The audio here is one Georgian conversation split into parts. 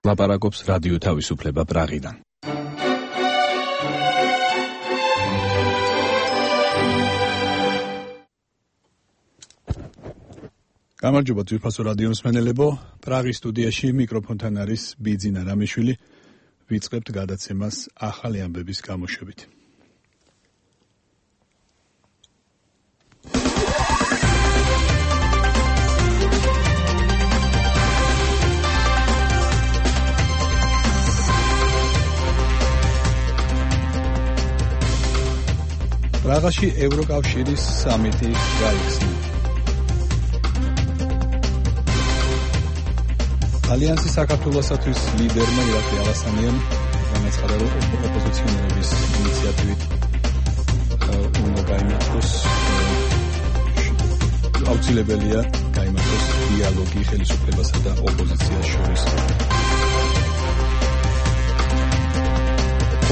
ლაპარაკობს რადიო თავისუფლება პრაღიდან. გამარჯობა ძვირფასო რადიო მსმენელებო, პრაღის სტუდიაში მიკროფონთან არის ბიძინა რამიშვილი. ვიწყებთ გადაცემას ახალი ამბების გამოშვებით. პრაღაში ევროკავშირის სამიტი გაიხსნა. ალიანსის საქართველოსათვის ლიდერმა ირაკლი ალასანიამ განაცხადა, რომ ოპოზიციონერების ინიციატივით უნდა გაიმართოს აუცილებელია გაიმართოს დიალოგი ხელისუფლებასა და ოპოზიციას შორის.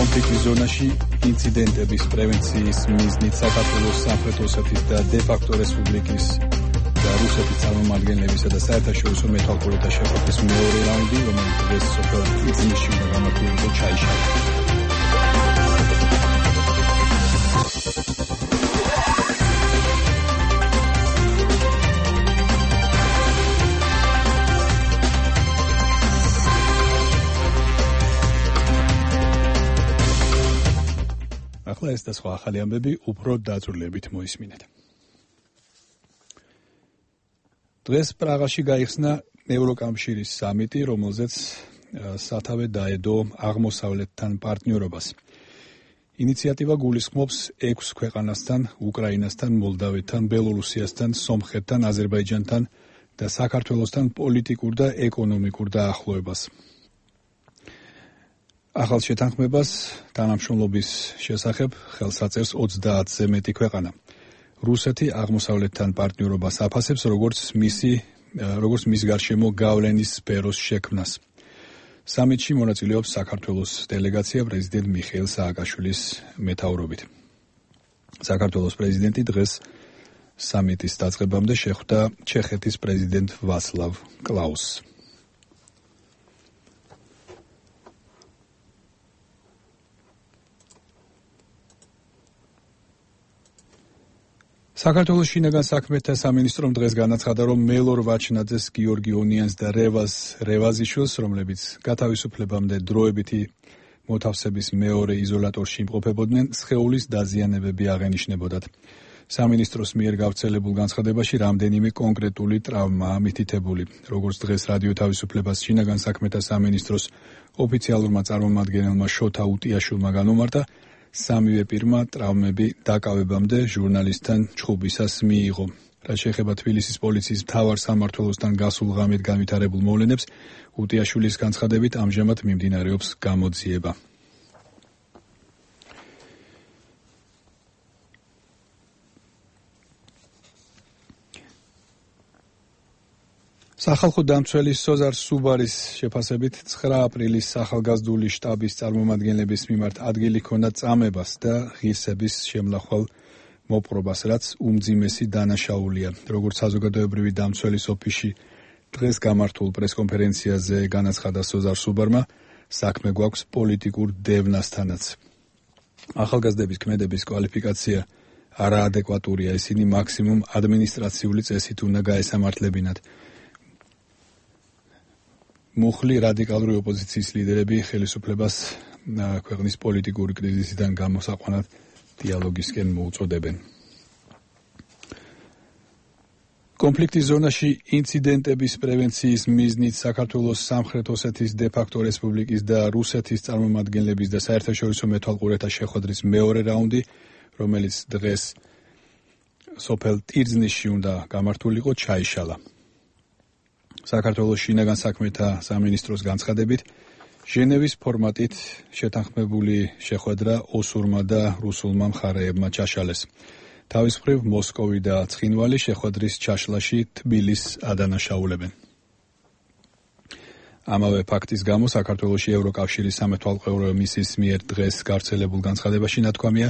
კონფლიქტის ზონაში ინციდენტების პრევენციის მიზნით საქართველოს სამხრეთ ოსეთის და დე-ფაქტო რესპუბლიკის და რუსეთის წარმომადგენლებისა და საერთაშორისო მეთვალყურეთა შეხვედრის მეორე რაუნდი, რომელიც დღეს სოფელ იზმირში უნდა გამართულიყო, ჩაიშალა. ახლა ეს და სხვა ახალი ამბები უფრო დაწვრილებით მოისმინეთ. დღეს პრაღაში გაიხსნა ევროკავშირის სამიტი, რომელზეც სათავე დაედო აღმოსავლეთთან პარტნიორობას. ინიციატივა გულისხმობს 6 ქვეყანასთან, უკრაინასთან, მოლდავეთთან, ბელორუსიასთან, სომხეთთან, აზერბაიჯანთან და საქართველოსთან პოლიტიკურ და ეკონომიკურ დაახლოებას. ახალ შეთანხმებას თანამშრომლობის შესახებ ხელს აწერს 30-ზე მეტი ქვეყანა. რუსეთი აღმოსავლეთთან პარტნიორობას აფასებს, როგორც მის გარშემო გავლენის სფეროს შექმნას. სამიტში მონაწილეობს საქართველოს დელეგაცია პრეზიდენტ მიხეილ სააკაშვილის მეთაურობით. საქართველოს პრეზიდენტი დღეს სამიტის დაწყებამდე შეხვდა ჩეხეთის პრეზიდენტ ვაცლავ კლაუსს. საქართველოს შინაგან საქმეთა სამინისტრომ დღეს განაცხადა, რომ მელორ ვაჩნაძეს, გიორგი ონიანს და რევაზ რევაზიშვილს, რომლებიც გათავისუფლებამდე დროებითი მოთავსების მეორე იზოლატორში იმყოფებოდნენ, სხეულის დაზიანებები აღენიშნებოდათ. სამინისტროს მიერ გავრცელებულ განცხადებაში რამდენიმე კონკრეტული ტრავმაა მითითებული. როგორც დღეს რადიო თავისუფლებას შინაგან საქმეთა სამინისტროს ოფიციალურმა წარმომადგენელმა შოთა უტიაშვილმა განუმარტა, სამივე პირმა ტრავმები დაკავებამდე ჟურნალისტთან ჩხუბისას მიიღო. რაც შეეხება თბილისის პოლიციის მთავარ სამმართველოსთან გასულ ღამით განვითარებულ მოვლენებს, უტიაშვილის განცხადებით ამჟამად მიმდინარეობს გამოძიება. სახალხო დამცველი სოზარ სუბარის შეფასებით 9 აპრილის ახალგაზრდული შტაბის წარმომადგენლების მიმართ ადგილი ჰქონდა წამებას და ღირსების შემლახვალ მოპყრობას, რაც უმძიმესი დანაშაულია. როგორც საზოგადოებრივი დამცველის ოფისში დღეს გამართულ პრესკონფერენციაზე განაცხადა სოზარ სუბარმა, საქმე გვაქვს პოლიტიკურ დევნასთანაც. ახალგაზრდების ქმედების კვალიფიკაცია არაადეკვატურია, ისინი მაქსიმუმ ადმინისტრაციული წესით უნდა გაესამართლებინათ. მუხლი რადიკალური ოპოზიციის ლიდერები ხელისუფლებას ქვეყნის პოლიტიკური კრიზისიდან გამოსაყვანად დიალოგისკენ მოუწოდებენ. კონფლიქტის ზონაში ინციდენტების პრევენციის მიზნით საქართველოს სამხრეთ ოსეთის დე-ფაქტო რესპუბლიკის და რუსეთის წარმომადგენლების და საერთაშორისო მეთვალყურეთა შეხვედრის მეორე რაუნდი, რომელიც დღეს სოფელ ტირზნისში უნდა გამართულიყო, ჩაიშალა. საქართველოს შინაგან საქმეთა სამინისტროს განცხადებით, ჟენევის ფორმატით შეთანხმებული შეხვედრა ოსურმა და რუსულმა მხარეებმა ჩაშალეს. თავის მხრივ მოსკოვი და ცხინვალი შეხვედრის ჩაშლაში თბილისს ადანაშაულებენ. ამავე ფაქტის გამო საქართველოში ევროკავშირის სამეთვალყურო მისიის მიერ დღეს გავრცელებულ განცხადებაში ნათქვამია,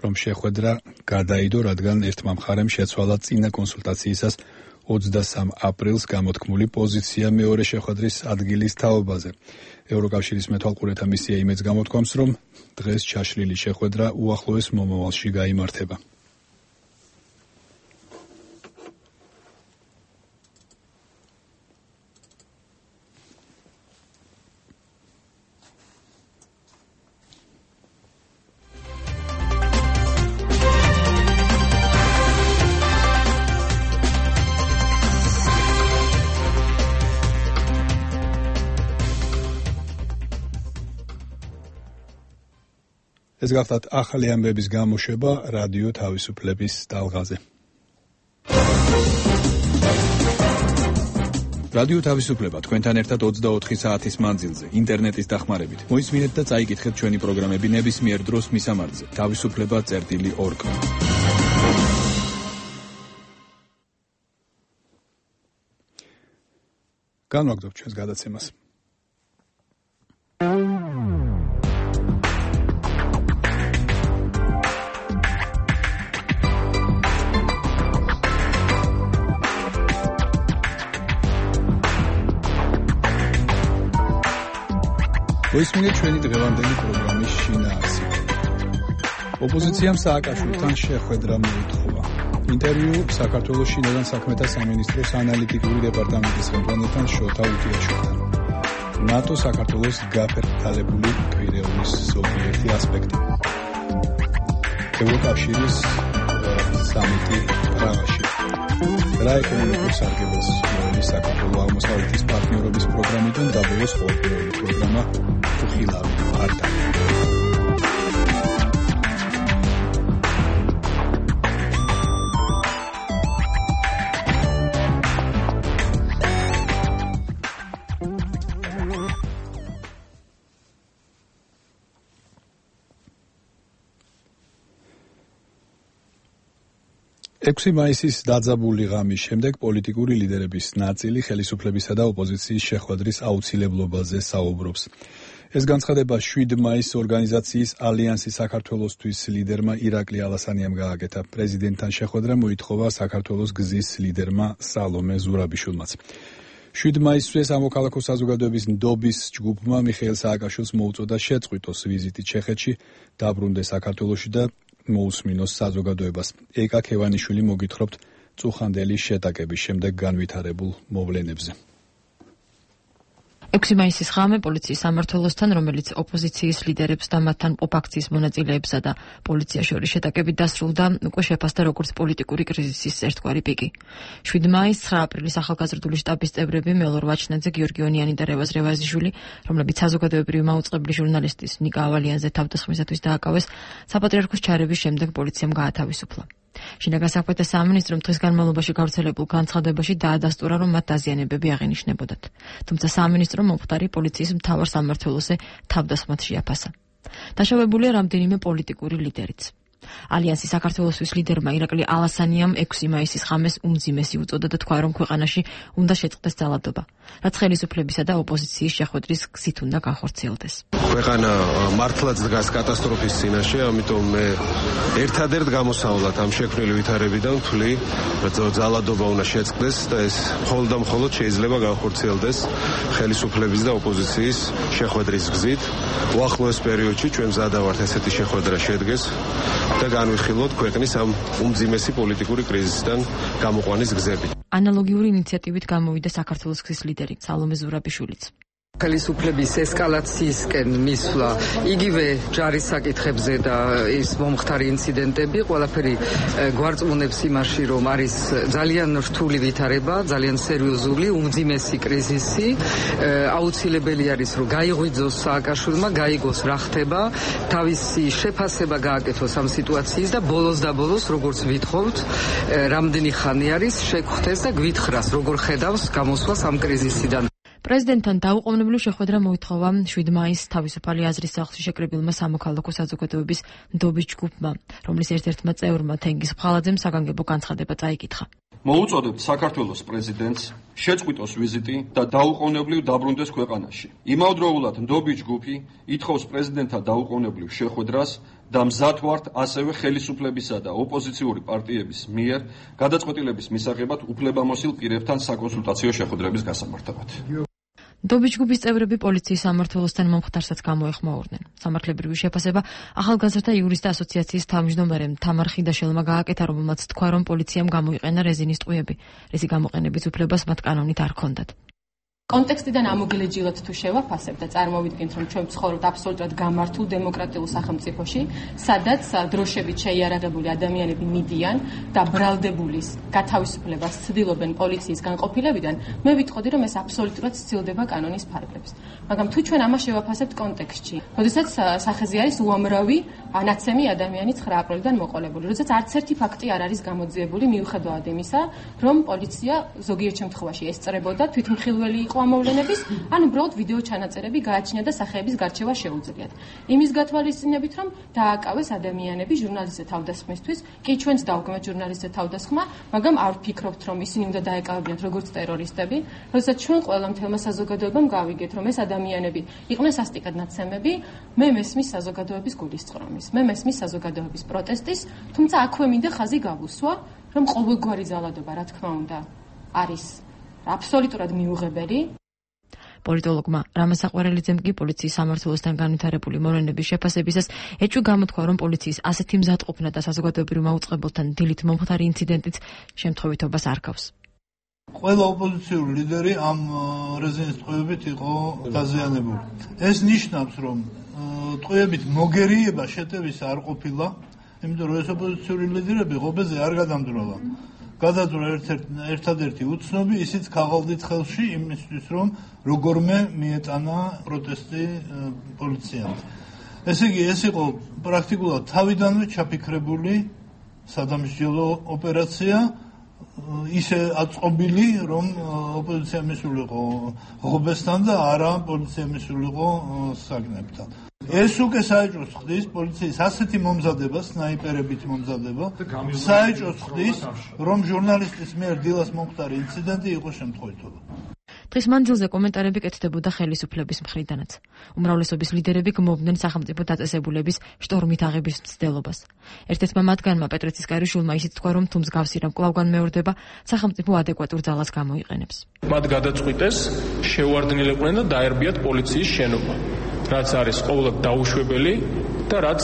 რომ შეხვედრა გადაიდო, რადგან ერთმა მხარემ შეცვალა წინა კონსულტაციისას 23 აპრილს გამოთქმული პოზიცია მეორე შეხვედრის ადგილის თაობაზე. ევროკავშირის მეთვალყურეთა მისია იმედს გამოთქვამს, რომ დღეს ჩაშლილი შეხვედრა უახლოეს მომავალში გაიმართება. ეს გახლავთ ახალი ამბების გამოშვება რადიო თავისუფლების ტალღაზე. რადიო თავისუფლება თქვენთან ერთად 24 საათის მანძილზე, ინტერნეტის დახმარებით. მოისმინეთ და წაიკითხეთ ჩვენი პროგრამები ნებისმიერ დროს მისამართზე. თავისუფლება.org. განვაგრძობთ ჩვენს გადაცემას. მოისმინეთ ჩვენი დღევანდელი პროგრამის შინაარსი. ოპოზიციამ სააკაშვილთან შეხვედრა მოითხოვა. ინტერვიუ საქართველოს შინაგან საქმეთა სამინისტროს ანალიტიკური დეპარტამენტის ხელმძღვანელთან შოთა უტიაშვილი. ნატო საქართველოს გაფერტალებული კვირეულის ზოგიერთი ასპექტი. ევროკავშირის სამიტი პრაღაში. რა ეკონომიკურ სარგებელს მოელის საქართველოს აღმოსავლეთის პარტნიორობის პროგრამიდან დაბოლოს ყოველდღიური პროგრამა უხილავი არდა. მაისის დაძაბული ღამის შემდეგ პოლიტიკური ლიდერების ნაწილი ხელისუფლებისა და ოპოზიციის შეხვედრის აუცილებლობაზე საუბრობს. ეს განცხადება 7 მაისს ორგანიზაციის ალიანსი საქართველოსთვის ლიდერმა ირაკლი ალასანიამ გააკეთა. პრეზიდენტთან შეხვედრა მოითხოვა საქართველოს გზის ლიდერმა სალომე ზურაბიშვილმაც. 7 მაისს სამოქალაქო საზოგადოების ნდობის ჯგუფმა მიხეილ სააკაშვილს მოუწოდა შეწყვიტოს ვიზიტი ჩეხეთში, დაბრუნდეს საქართველოში და მოусმინოს საზოგადოებას. ეკა ქევანიშვილი მოგითხრობთ წუხანდელი შეტაკების შემდეგ განვითარებულ მოვლენებზე. 6 მაისის ღამე პოლიციის სამმართველოსთან, რომელიც ოპოზიციის ლიდერებს და მათთან მყოფ აქციის მონაწილეებსა და პოლიციას შორის შეტაკებით დასრულდა, უკვე შეფასდა როგორც პოლიტიკური კრიზისის ერთგვარი პიკი. 7 მაისს 9 აპრილის ახალგაზრდული შტაბის წევრები მელორ ვაჩნაძე, გიორგი ონიანი და რევაზ რევაზიშვილი, რომლებიც საზოგადოებრივი მაუწყებლი ჟურნალისტის ნიკა ავალიანზე თავდასხმისათვის დააკავეს, საპატრიარქოს ჩარევის შემდეგ პოლიციამ გაათავისუფლა. შინაგან საქმეთა სამინისტრომ დღის განმავლობაში გავრცელებულ განცხადებაში დაადასტურა, რომ მათ დაზიანებები აღინიშნებოდათ. თუმცა სამინისტრომ მომხდარი პოლიციის მთავარ სამმართველოზე თავდასხმად შეაფასა. დაშავებულია რამდენიმე პოლიტიკური ლიდერიც. ალიანსი საქართველოსთვის ლიდერმა ირაკლი ალასანიამ 6 მაისის ღამეს უმძიმესი უწოდა და თქვა, რომ ქვეყანაში უნდა შეწყდეს ძალადობა, რაც ხელისუფლებისა და ოპოზიციის შეხვედრის გზით უნდა განხორციელდეს. ქვეყანა მართლაც დგას კატასტროფის წინაშე, ამიტომ მე ერთადერთ გამოსავლად ამ შექმნილი ვითარებიდან ვთვლი, რომ ძალადობა უნდა შეწყდეს და ეს მხოლოდ და მხოლოდ შეიძლება განხორციელდეს ხელისუფლების და ოპოზიციის შეხვედრის გზით. უახლოეს პერიოდში ჩვენ მზადა ვართ ესეთი შეხვედრა შედგეს და განვიხილოთ ქვეყნის ამ უმძიმესი პოლიტიკური კრიზისიდან გამოყვანის გზები. ანალოგიური ინიციატივით გამოვიდა საქართველოს გზის ლიდერი სალომე ზურაბიშვილიც. ხელისუფლების ესკალაციისკენ მისვლა იგივე ჯარის საკითხებზე და ის მომხდარი ინციდენტები ყველაფერი გვარწმუნებს იმაში, რომ არის ძალიან რთული ვითარება, ძალიან სერიოზული, უმძიმესი კრიზისი. აუცილებელი არის, რომ გაიღვიძოს სააკაშვილმა, გაიგოს რა ხდება, თავისი შეფასება გააკეთოს ამ სიტუაციის და ბოლოს და ბოლოს, როგორც ვითხოვთ, რამდენი ხანი არის შეგხვდეს და გვითხრას, როგორ ხედავს გამოსვლას ამ კრიზისიდან. პრეზიდენტთან დაუყოვნებლივ შეხვედრა მოითხოვა 7 მაისს თავისუფალი აზრის სახლში შეკრებილმა სამოქალაქო საზოგადოების ნდობის ჯგუფმა, რომლის ერთ-ერთმა წევრმა თენგიზ ბღალაძემ საგანგებო განცხადება წაიკითხა. მოუწოდებთ საქართველოს პრეზიდენტს შეწყვიტოს ვიზიტი და დაუყოვნებლივ დაბრუნდეს ქვეყანაში. იმავდროულად ნდობის ჯგუფი ითხოვს პრეზიდენტთან დაუყოვნებლივ შეხვედრას და მზად ვართ ასევე ხელისუფლებისა და ოპოზიციური პარტიების მიერ გადაწყვეტილების მისაღებად უფლებამოსილ პირებთან საკონსულტაციო შეხვედრების გასამართებად. ნდობის ჯგუფის წევრები პოლიციის სამმართველოსთან მომხდარსაც გამოეხმაურნენ. სამართლებრივი შეფასება ახალგაზრდა იურისტთა ასოციაციის თავმჯდომარემ თამარ ხიდაშელმა გააკეთა, რომელმაც თქვა, რომ პოლიციამ გამოიყენა რეზინის ტყვიები, რისი გამოყენების უფლებას მათ კანონით არ ჰქონდათ. კონტექსტიდან ამოგელეჯილად თუ შევაფასებთ და წარმოვიდგინთ, რომ ჩვენ ვცხოვრობთ აბსოლუტურად გამართულ დემოკრატიულ სახელმწიფოში, სადაც დროშებით შეიარაღებული ადამიანები მიდიან და ბრალდებულის გათავისუფლებას ცდილობენ პოლიციის განყოფილებიდან, მე ვიტყოდი, რომ ეს აბსოლუტურად სცილდება კანონის ფარგლებს. მაგრამ თუ ჩვენ ამას შევაფასებთ კონტექსტში, როდესაც სახეზე არის უამრავი ანაცემი ადამიანი 9 აპრილიდან მოყოლებული, როდესაც არც ერთი ფაქტი არ არის გამოძიებული მიუხედავად იმისა, რომ პოლიცია ზოგიერთ შემთხვევაში ესწრებოდა თვითმხილველი იყო ამოვლენების, ან უბრალოდ ვიდეო ჩანაწერები გააჩნია და სახეების გარჩევა შეუძლიათ. იმის გათვალისწინებით, რომ დააკავეს ადამიანები ჟურნალისტთა თავდასხმისთვის, კი ჩვენც დავგმეთ ჟურნალისტთა თავდასხმა, მაგრამ არ ვფიქრობთ, რომ ისინი უნდა დაეკავებინათ როგორც ტერორისტები, როდესაც ჩვენ ყველა მთელმა საზოგადოებამ გავიგეთ, რომ ეს ადამიანები იყვნენ სასტიკად ნაცემები, მე მესმის საზოგადოების გულისწყრომის, მე მესმის საზოგადოების პროტესტის, თუმცა აქვე მინდა ხაზი გავუსვა, რომ ყოველგვარი ძალადობა, რა თქმა უნდა, არის აბსოლუტურად მიუღებელი. პოლიტოლოგმა რამაზ საყვარელიძემ კი პოლიციის სამმართველოსთან განვითარებული მოვლენების შეფასებისას ეჭვი გამოთქვა, რომ პოლიციის ასეთი მზადყოფნა და საზოგადოებრივ მაუწყებელთან დილით მომხდარი ინციდენტიც შემთხვევითობას არ გავს. ყველა ოპოზიციური ლიდერი ამ რეზინის ტყვიებით იყო დაზიანებული. ეს ნიშნავს, რომ ტყვიებით მოგერიება შეტევის არ ყოფილა, იმიტომ რომ ეს ოპოზიციური ლიდერები ღობეზე არ გადამდროლა. გადაძვრა ერთადერთი უცნობი, ისიც ქაღალდით ხელში იმისთვის, რომ როგორმე მიეტანა პროტესტი პოლიციამ. ესე იგი, ეს იყო პრაქტიკულად თავიდანვე ჩაფიქრებული სადამსჯელო ოპერაცია, ისე აწყობილი, რომ ოპოზიცია მისულიყო ღობესთან და არა პოლიცია მისულიყო საგნებთან. ეს უკვე საეჭვოს ხდის პოლიციის ასეთი მომზადება, სნაიპერებით მომზადება, საეჭვოს ხდის, რომ ჟურნალისტის მიერ დილას მომხდარი ინციდენტი იყო შემთხვევითობა. დღის მანძილზე კომენტარები კეთდებოდა ხელისუფლების მხრიდანაც. უმრავლესობის ლიდერები გმობდნენ სახელმწიფო დაწესებულების შტორმით აღების მცდელობას. ერთ-ერთმა მათგანმა პეტრე ცისკარიშვილმა ისიც თქვა, რომ თუ მსგავსი რამ კვლავ განმეორდება, სახელმწიფო ადეკვატურ ძალას გამოიყენებს. მათ გადაწყვიტეს შეუარდნილიყვნენ და დაერბიათ პოლიციის შენობა, რაც არის ყოველად დაუშვებელი და რაც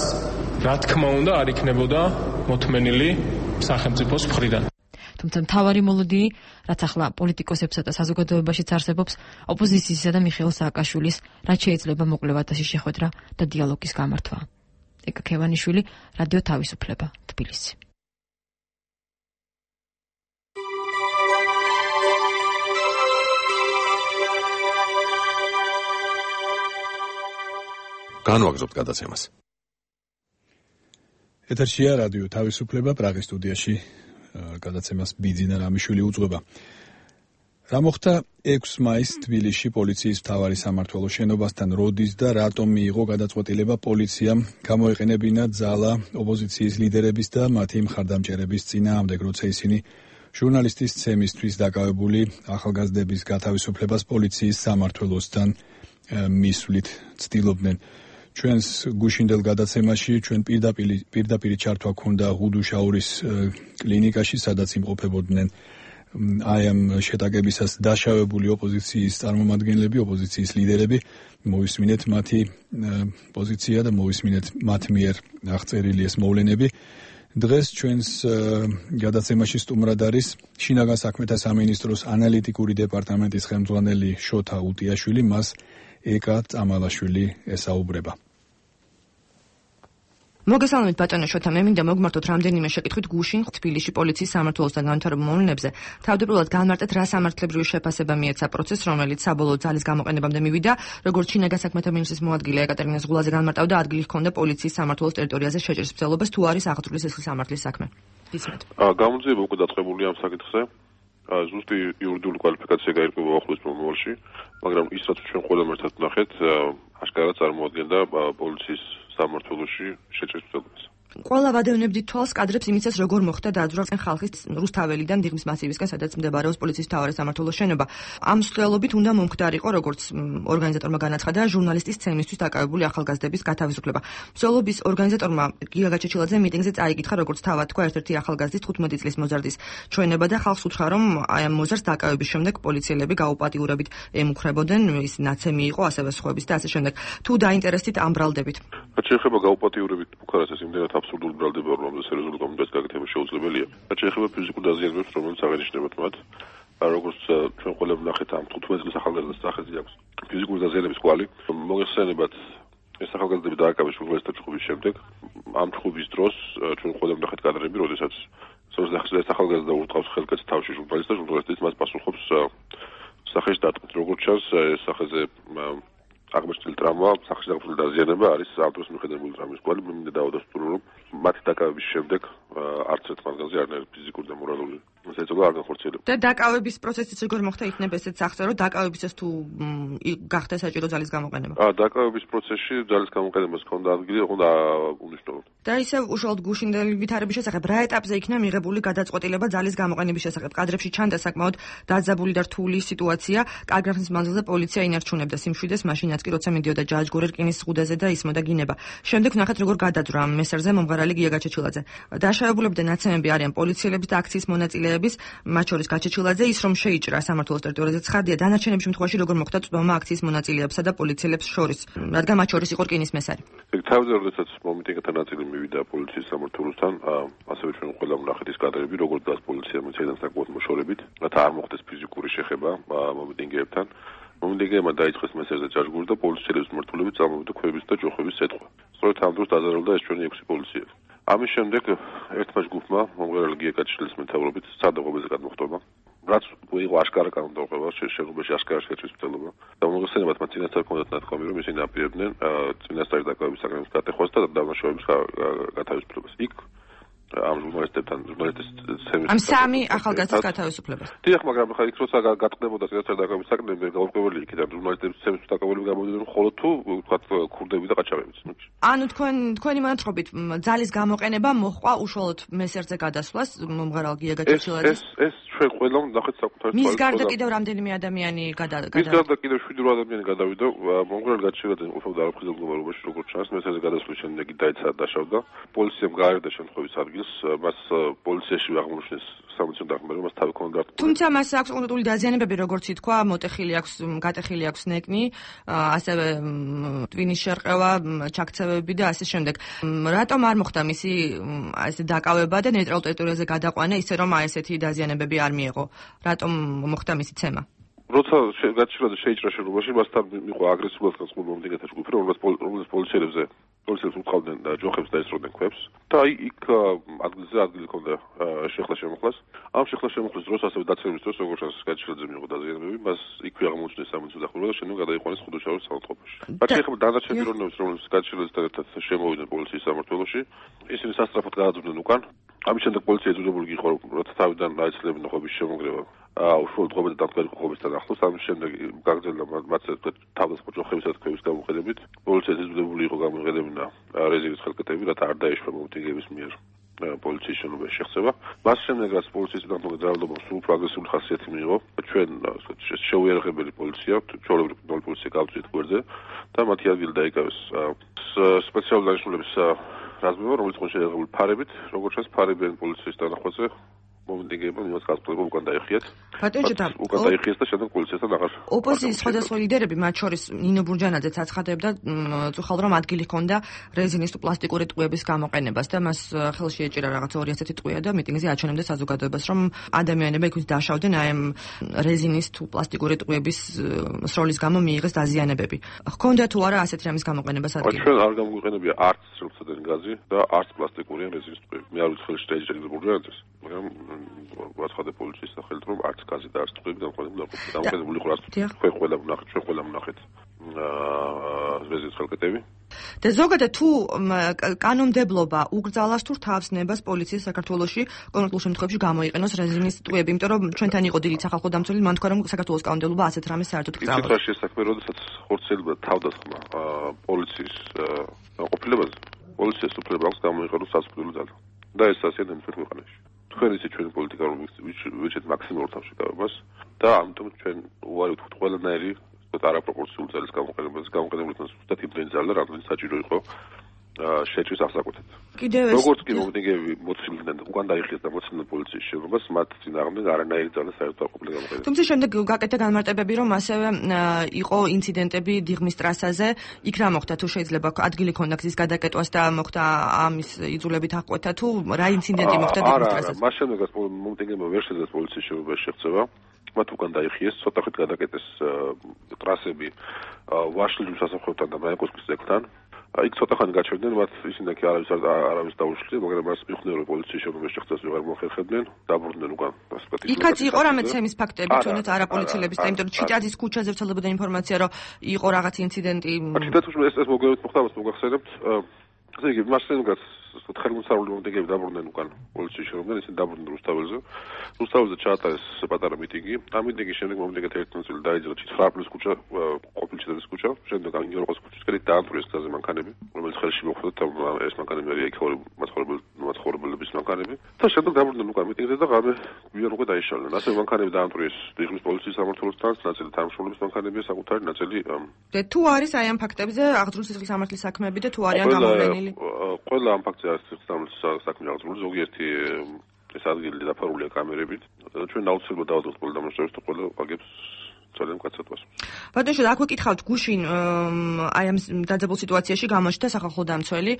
რა თქმა უნდა არ იქნებოდა მოთმენილი სახელმწიფოს მხრიდან. თუმცა მთავარი მოლოდინი, რაც ახლა პოლიტიკოსებსა და საზოგადოებაშიც არსებობს, ოპოზიციისა და მიხეილ სააკაშვილის, რაც შეიძლება მოკლევადაში შეხვედრა და დიალოგის გამართვა. ეკა ქევანიშვილი, რადიო თავისუფლება, თბილისი. განვაგრძობთ გადაცემას. ეთერშია რადიო თავისუფლება, პრაღის სტუდიაში გადაცემას ბიძინა რამიშვილი უძღვება. რა მოხდა 6 მაისს თბილისში პოლიციის მთავარი სამმართველოს შენობასთან როდის და რატომ მიიღო გადაწყვეტილება პოლიციამ გამოეყენებინა ძალა ოპოზიციის ლიდერების და მათი მხარდამჭერების წინააღმდეგ, როცა ისინი ჟურნალისტის ცემისთვის დაკავებული ახალგაზრდების გათავისუფლებას პოლიციის სამმართველოსთან მისვლით ცდილობდნენ. ჩვენს გუშინდელ გადაცემაში ჩვენ პირდაპირი ჩართვა ქონდა ღუდუშაურის კლინიკაში, სადაც იმყოფებოდნენ აი ამ შეტაკებისას დაშავებული ოპოზიციის წარმომადგენლები, ოპოზიციის ლიდერები. მოვისმინეთ მათი პოზიცია და მოვისმინეთ მათ მიერ აღწერილი ეს მოვლენები. დღეს ჩვენს გადაცემაში სტუმრად არის შინაგან საქმეთა სამინისტროს ანალიტიკური დეპარტამენტის ხელმძღვანელი შოთა უტიაშვილი, მას ეკა წამალაშვილი ესაუბრება. მოგესალმებით ბატონო შოთა, მე მინდა მოგმართოთ რამდენიმე შეკითხვით გუშინ თბილისში პოლიციის სამმართველოსთან განვითარებულ მოვლენებზე. თავდაპირველად განმარტეთ, რა სამართლებრივი შეფასება მიეცა პროცესს, რომელიც საბოლოო ძალის გამოყენებამდე მივიდა, როგორც შინაგან საქმეთა მინისტრის მოადგილე ეკატერინე ზღულაძე განმარტავდა, ადგილი ჰქონდა პოლიციის სამმართველოს ტერიტორიაზე შეჭრის მცდელობას, თუ არის აღძრული სისხლის სამართლის საქმე. ისმეთ. გამოძიება უკვე დაწყებულია ამ საკითხზე. ზუსტი იურიდიული კვალიფიკაცია გაირკვევა ახლოს მომავალში, მაგრამ ის რაც ჩვენ ყველამ ერთად ვნახეთ, აშკარად წარმოადგენდა პოლიციის სამმართველოში შეჭრის მცდელობას. ყველა ვადევნებდით თვალს კადრებს იმისას, როგორ მოხდა დაძვრა ხალხის რუსთაველიდან დიღმის მასივისკენ, სადაც მსდებარეობს პოლიციის მთავარი სამმართველოს შენობა. ამ მსვლელობით უნდა მომხდარიყო, როგორც ორგანიზატორმა განაცხადა, ჟურნალისტის ცემისთვის დაკავებული ახალგაზრდების გათავისუფლება. მსვლელობის ორგანიზატორმა გიგა გაჩეჩილაძე მიტინგზე წაიკითხა, როგორც თავად თქვა, ერთ-ერთი ახალგაზრდის 15 წლის მოზარდის ჩვენება და ხალხს უთხრა, რომ აი ამ მოზარდს დაკავების შემდეგ პოლიციელები გაუპატიურებით ემუქრებოდნენ, ის ნაცემი იყო, ასევე სხვების და ასე შემდეგ. თუ დაინტერესდით ამ ბრალდებით. რაც შეეხება გაუპატიურებით ბუქარას ეს იმდენად აბსურდული ბრალდება, რომ სერიოზული კომენტარის გაკეთება შეუძლებელია. რაც შეეხება ფიზიკურ დაზიანებებს, რომელიც აღენიშნებათ მათ, როგორც ჩვენ ყველამ ნახეთ ამ 15 წლის ახალგაზრდას სახეზე აქვს ფიზიკური დაზიანების კვალი. მოგეხსენებათ ეს ახალგაზრდები დააკავეს ჟურნალისტთა ჩხუბის შემდეგ. ამ ჩხუბის დროს ჩვენ ყველამ ნახეთ კადრები, როდესაც ეს ახალგაზრდა ურტყავს ხელკეთს თავში ჟურნალისტს და ჟურნალისტიც მას პასუხობს სახეში დატყვით. როგორც ჩანს, ეს სახეზე აღმოჩენილი ტრამვა, სახეში დაგწეული დაზიანება არის ამ დროს მიხედებული ტრამვის კვალი. მე მინდა დავადასტურო, რომ მათი დაკავების შემდეგ არც ერთ მათგანზე არანაირი ფიზიკური და მორალური ზეწოლა არ განხორციელება. და დაკავების პროცესიც როგორ მოხდა, იქნება ესეც სახსა, რომ დაკავებისას თუ გახდა საჭირო ძალის გამოყენება. დაკავების პროცესში ძალის გამოყენებას ჰქონდა ადგილი, უნდა უნიშნულოთ. და ისევ უშუალოდ გუშინდელი ვითარების შესახებ რა ეტაპზე იქნა მიღებული გადაწყვეტილება ძალის გამოყენების შესახებ? კადრებში ჩანდა საკმაოდ დაძაბული და რთული სიტუაცია. კარგრახნის მანძილზე პოლიცია ინარჩუნებდა სიმშვიდეს, მაშინაც კი როცა მიდიოდა ჯაჯგური რკინის ზღუდაზე და ისმოდა გინება. შემდეგ ნახეთ როგორ გადაძვრა ამ მესერზე მომღერალი გია გაჩეჩილაძე. დაშავებულები და ნაცემები არიან პოლიციელების და აქციის მონაწილეების, მათ შორის გაჩეჩილაძე, ის რომ შეიჭრა სამმართველოს ტერიტორიაზე ცხადია, დანარჩენების შემთხვევაში როგორ მოხდა წვდომა აქციის მონაწილეებსა და პოლიციელებს შორის, რადგან მათ შორის იყო რკინის მესარი. თავზე როდესაც მომიტინგთა ნაწილი მივიდა პოლიციის სამმართველოსთან, ასევე ჩვენ ყველამ ვნახეთ ის კადრები, როგორ დგას პოლიცია მოიცადან საკმაოდ მოშორებით, რათა არ მოხდეს ფიზიკური შეხება მომიტინგეებთან. მომიტინგეებმა დაიწყეს მესერზე ჯაჯგური და პოლიციელების მმართველები წამოვიდა ქვების და ჯოხების სეტყვა. სწორედ ამ დროს დაზარალდა ეს ჩვენი 6 პოლიციელი. ამის შემდეგ ერთმა ჯგუფმა მომღერალი გია გაჩეჩილაძის მეთაურობით სცადა ღობეზე გადმოხტობა. რაც იყო აშკარა კანონმდებლობა, შეგუბეში აშკარა შეჭრის მცდელობა. და მოგეხსენებათ, მათ წინასწარ ჰქონდათ ნათქვამი, რომ ისინი აპირებდნენ წინასწარი დაკავების საგანების გატეხვას და დამნაშავეების გათავისუფლებას. იქ ამ ჟურნალისტებთან ამ სამი ახალგაზრდის გათავისუფლებას. დიახ, მაგრამ ხა იქ როცა გატყდებოდა წინასწარი დაკავების საგანები, გაურკვეველი იქიდან ჟურნალისტების ცემის დაკავებული გამოდიოდნენ მხოლოდ თუ ვთქვათ ქურდები და ყაჩაღებიც. ანუ თქვენი მონათხრობით ძალის გამოყენება მოჰყვა უშუალოდ მესერზე გადასვლას მომღერალ გია გაჩეჩილაძეს. ეს ჩვენ ყველამ ნახეთ საკუთარ მის გარდა კიდევ რამდენიმე ადამიანი გადავიდა. მის გარდა კიდევ 7 ადამიანი გადავიდა. მომღერალ გაჩეჩილაძე ყოფილდა არაფრთხილ მდგომარეობაში, როგორც ჩანს, მესერზე გადასვლის შემდეგ დაეცა დაშავდა. პოლიციამ გაარდა შემთხვევის ადგილს, მას პოლიციაში აღმოჩნდეს სამოციან დაღმერა, მას თავი ჰქონდა. თუმცა მას აქვს კონკრეტული დაზიანებები, როგორც ითქვა, მოტეხილი აქვს, გატეხილი აქვს ნეკნი, ასევე ტვინის შერყევა, ჩაქცევები და ასე შემდეგ. რატომ არ მოხდა მისი ესე დაკავება და ნეიტრალურ ტერიტორიაზე გადაყვანა, ისე რომ აი ესეთი დაზიანებები არ მიეღო? რატომ მოხდა მისი ცემა? როცა გაჩეჩილაძე შეიჭრა შენობაში, მასთან იყო აგრესიულად განწყობილი მომდინგეთა ჯგუფი, რომელიც პოლიციელებს უწყავდნენ ჯოხებს და ესროდნენ ქვებს. და იქ ადგილზე ადგილი ჰქონდა შეხლა-შემოხლას. ამ შეხლა-შემოხლის დროს, ასევე დაცემის დროს, როგორც ჩანს, გაჩეჩილაძე მიიღო დაზიანებები, მას იქვე აღმოუჩნდეს სამედიცინო დახმარება და შემდეგ გადაიყვანეს ხუდოჩაურის საავადმყოფოში. რაც შეეხება დანარჩენ პიროვნებებს, რომლებიც გაჩეჩილაძესთან ერთად შემოვიდნენ პოლიციის სამმართველოში, ისინი სასწრაფოდ გადაძვრდნენ უკან. ამის შემდეგ პოლიცია ეძებებული იყო, როცა თავიდან აეცლებინა ხვების შემოგრევა. უშუალოდ ღობეზე დამდგარი ხვებისთან ახლოს. ამის შემდეგ გაგრძელდა მათ თავდასხმა ჯოხებისა და ქვების გამოყენებით. პოლიცია ეძებებული იყო გამოიყენებინა რეზერვის ხელკეთები, რათა არ დაეშვა მომიტინგეების მიერ პოლიციის შენობაში შეღწევა. მას შემდეგ რაც პოლიციის თანამდებობამ ძალადობამ სულ უფრო აგრესიული ხასიათი მიიღო, ჩვენ შეუიარაღებელი პოლიცია, ჩვეულებრივი პოლიცია გავწვით გვერდზე და მათი ადგილი დაიკავეს სპეციალური დანიშნულების რაზმებმა, რომელიც იყო შეიარაღებული ფარებით, როგორც ჩანს, ფარებიანი პოლიციის დანახვაზე მომიტინგეებმა იმას გასწრება უკან დაიხიათ. უკან დაიხიეს და შემდეგ პოლიციასთან აღარ. ოპოზიციის სხვადასხვა ლიდერები, მათ შორის ნინო ბურჯანაძეც აცხადებდა წუხალ რომ ადგილი ჰქონდა რეზინის თუ პლასტიკური ტყვიების გამოყენებას და მას ხელში ეჭირა რაღაც 200 ტყვია და მიტინგზე აჩვენებდა საზოგადოებას, რომ ადამიანები იქით დაშავდნენ აი ამ რეზინის თუ პლასტიკური ტყვიების სროლის გამო მიიღეს დაზიანებები. ჰქონდა თუ არა ასეთი რამის გამოყენებას ადგილი? ჩვენ არ გამოგვიყენებია არც სრულწლიანი გაზი და არც პლასტიკური რეზინის ტყვიები. მე არ ვიცი ხელში დაიჭერა ბურჯანაძეს, მაგრამ ვაცხადე პოლიციის სახელით, რომ არც გაზი და არც ტყვიები დამოუკიდებელი იყო. ჩვენ ყველამ ვნახეთ რეზინის ხელკეთები. და ზოგადად თუ კანონმდებლობა უკრძალავს თუ თავს ნებას პოლიციის საქართველოში კონკრეტულ შემთხვევებში გამოიყენოს რეზინის ტყვიები, იმიტომ რომ ჩვენთან იყო დილით სახალხო დამცველი, მან თქვა რომ საქართველოს კანონმდებლობა ასეთ რამეს საერთოდ კრძალავს. ისიც რა შესაძლოა, როდესაც ხორციელდება თავდასხმა პოლიციის ყოფილებაზე. პოლიციას უფლება აქვს გამოიყენოს სასიკვდილო ძალა. და ეს ასეა ნებისმიერ ქვეყანაში. თქვენ ისე ჩვენი პოლიტიკა რომ ვიჩეთ მაქსიმალურ თავშეკავებას და ამიტომ ჩვენ უარი ვთქვით ყველანაირი არაპროპორციული ძალის გამოყენებას, გამოყენებულთან ზუსტად იმდენი ძალა, რამდენიც საჭირო იყო შეჭრის აღსაკვეთად. როგორც კი მომდინგეები მოცილდნენ, უკან დაიხიეს და მოცილდნენ პოლიციის შენობას, მათ წინააღმდეგ არანაირი ძალა საერთოდ არ ყოფილა გამოყენებული. თუმცა შემდეგ გაკეთდა განმარტებები, რომ ასევე იყო ინციდენტები დიღმის ტრასაზე, იქ რა მოხდა თუ შეიძლება ადგილი ქონდა გზის გადაკეტვას და მოხდა ამის იძულებით აღკვეთა თუ რა ინციდენტი მოხდა დიღმის ტრასაზე? მას შემდეგაც მომდინგეებმა ვერ შეძლეს პოლიციის შენობაში შეღწევა. მათ უკან დაიხიეს, ცოტა ხნით გადაკეტეს ტრასები ვაშლიძის სასახლეთან და მაიაკოვსკის ზეგთან. იქ ცოტა ხანი გაჩერდნენ, მათ ისინი კი არავის დაუშლეს, მაგრამ მას მიხვდნენ, რომ პოლიციის შენობაში შეღწევას ვეღარ მოახერხებდნენ, დაბრუნდნენ უკან. იქაც იყო რამე ცემის ფაქტები, თუნდაც არაპოლიციელების და იმიტომ რომ ჩიტაძის ქუჩაზე ვრცელებოდა ინფორმაცია, რომ იყო რაღაც ინციდენტი. ჩიტაძის ეს მოგევით მოხდა, მას მოგახსენებთ. ესე იგი, მას შემდგაც ხელმოსავლური მომდეგეები დაბრუნდნენ უკან პოლიციის შენობაში, ისინი დაბრუნდნენ რუსთაველზე. რუსთაველზე ჩაატარეს პატარა მიტინგი. ამ მიტინგის შემდეგ მომდეგეთა ერთმანეთს დაიძრა 9 ქუჩა, ყოფილი ჩიტაძის ქუჩა, შემდეგ ინგოროყოს ქუჩისკენ დაამტვრიეს გზაზე მანქანები, რომელიც ხელში მოხვდა ეს მანქანები არის მაცხოვრებლების მანქანები. და შემდეგ დაბრუნდნენ უკან მიტინგზე და ღამე გვიან უკვე დაიშალნენ. ასე მანქანები დაამტვრიეს დიღმის პოლიციის სამმართველოსთან, ნაწილი თანამშრომლობის მანქანებია, საკუთარი ნაწილი და თუ არის აი ამ ფაქტებზე აღძრული სისხლის სამართლის საქმეები და თუ არიან გამოვლენილი? ყველა ამ ფაქტზე არის სისხლის საქმე აღძრული, ზოგიერთი ეს ადგილი დაფარულია კამერებით. ჩვენ აუცილებლად დავადოთ ყველა დამნაშავეს და ყველა აგებს ძალიან მკაცრად. ბატონო, აქვე კითხავთ, გუშინ აი ამ დაძაბულ სიტუაციაში გამოჩნდა სახალხო დამცველი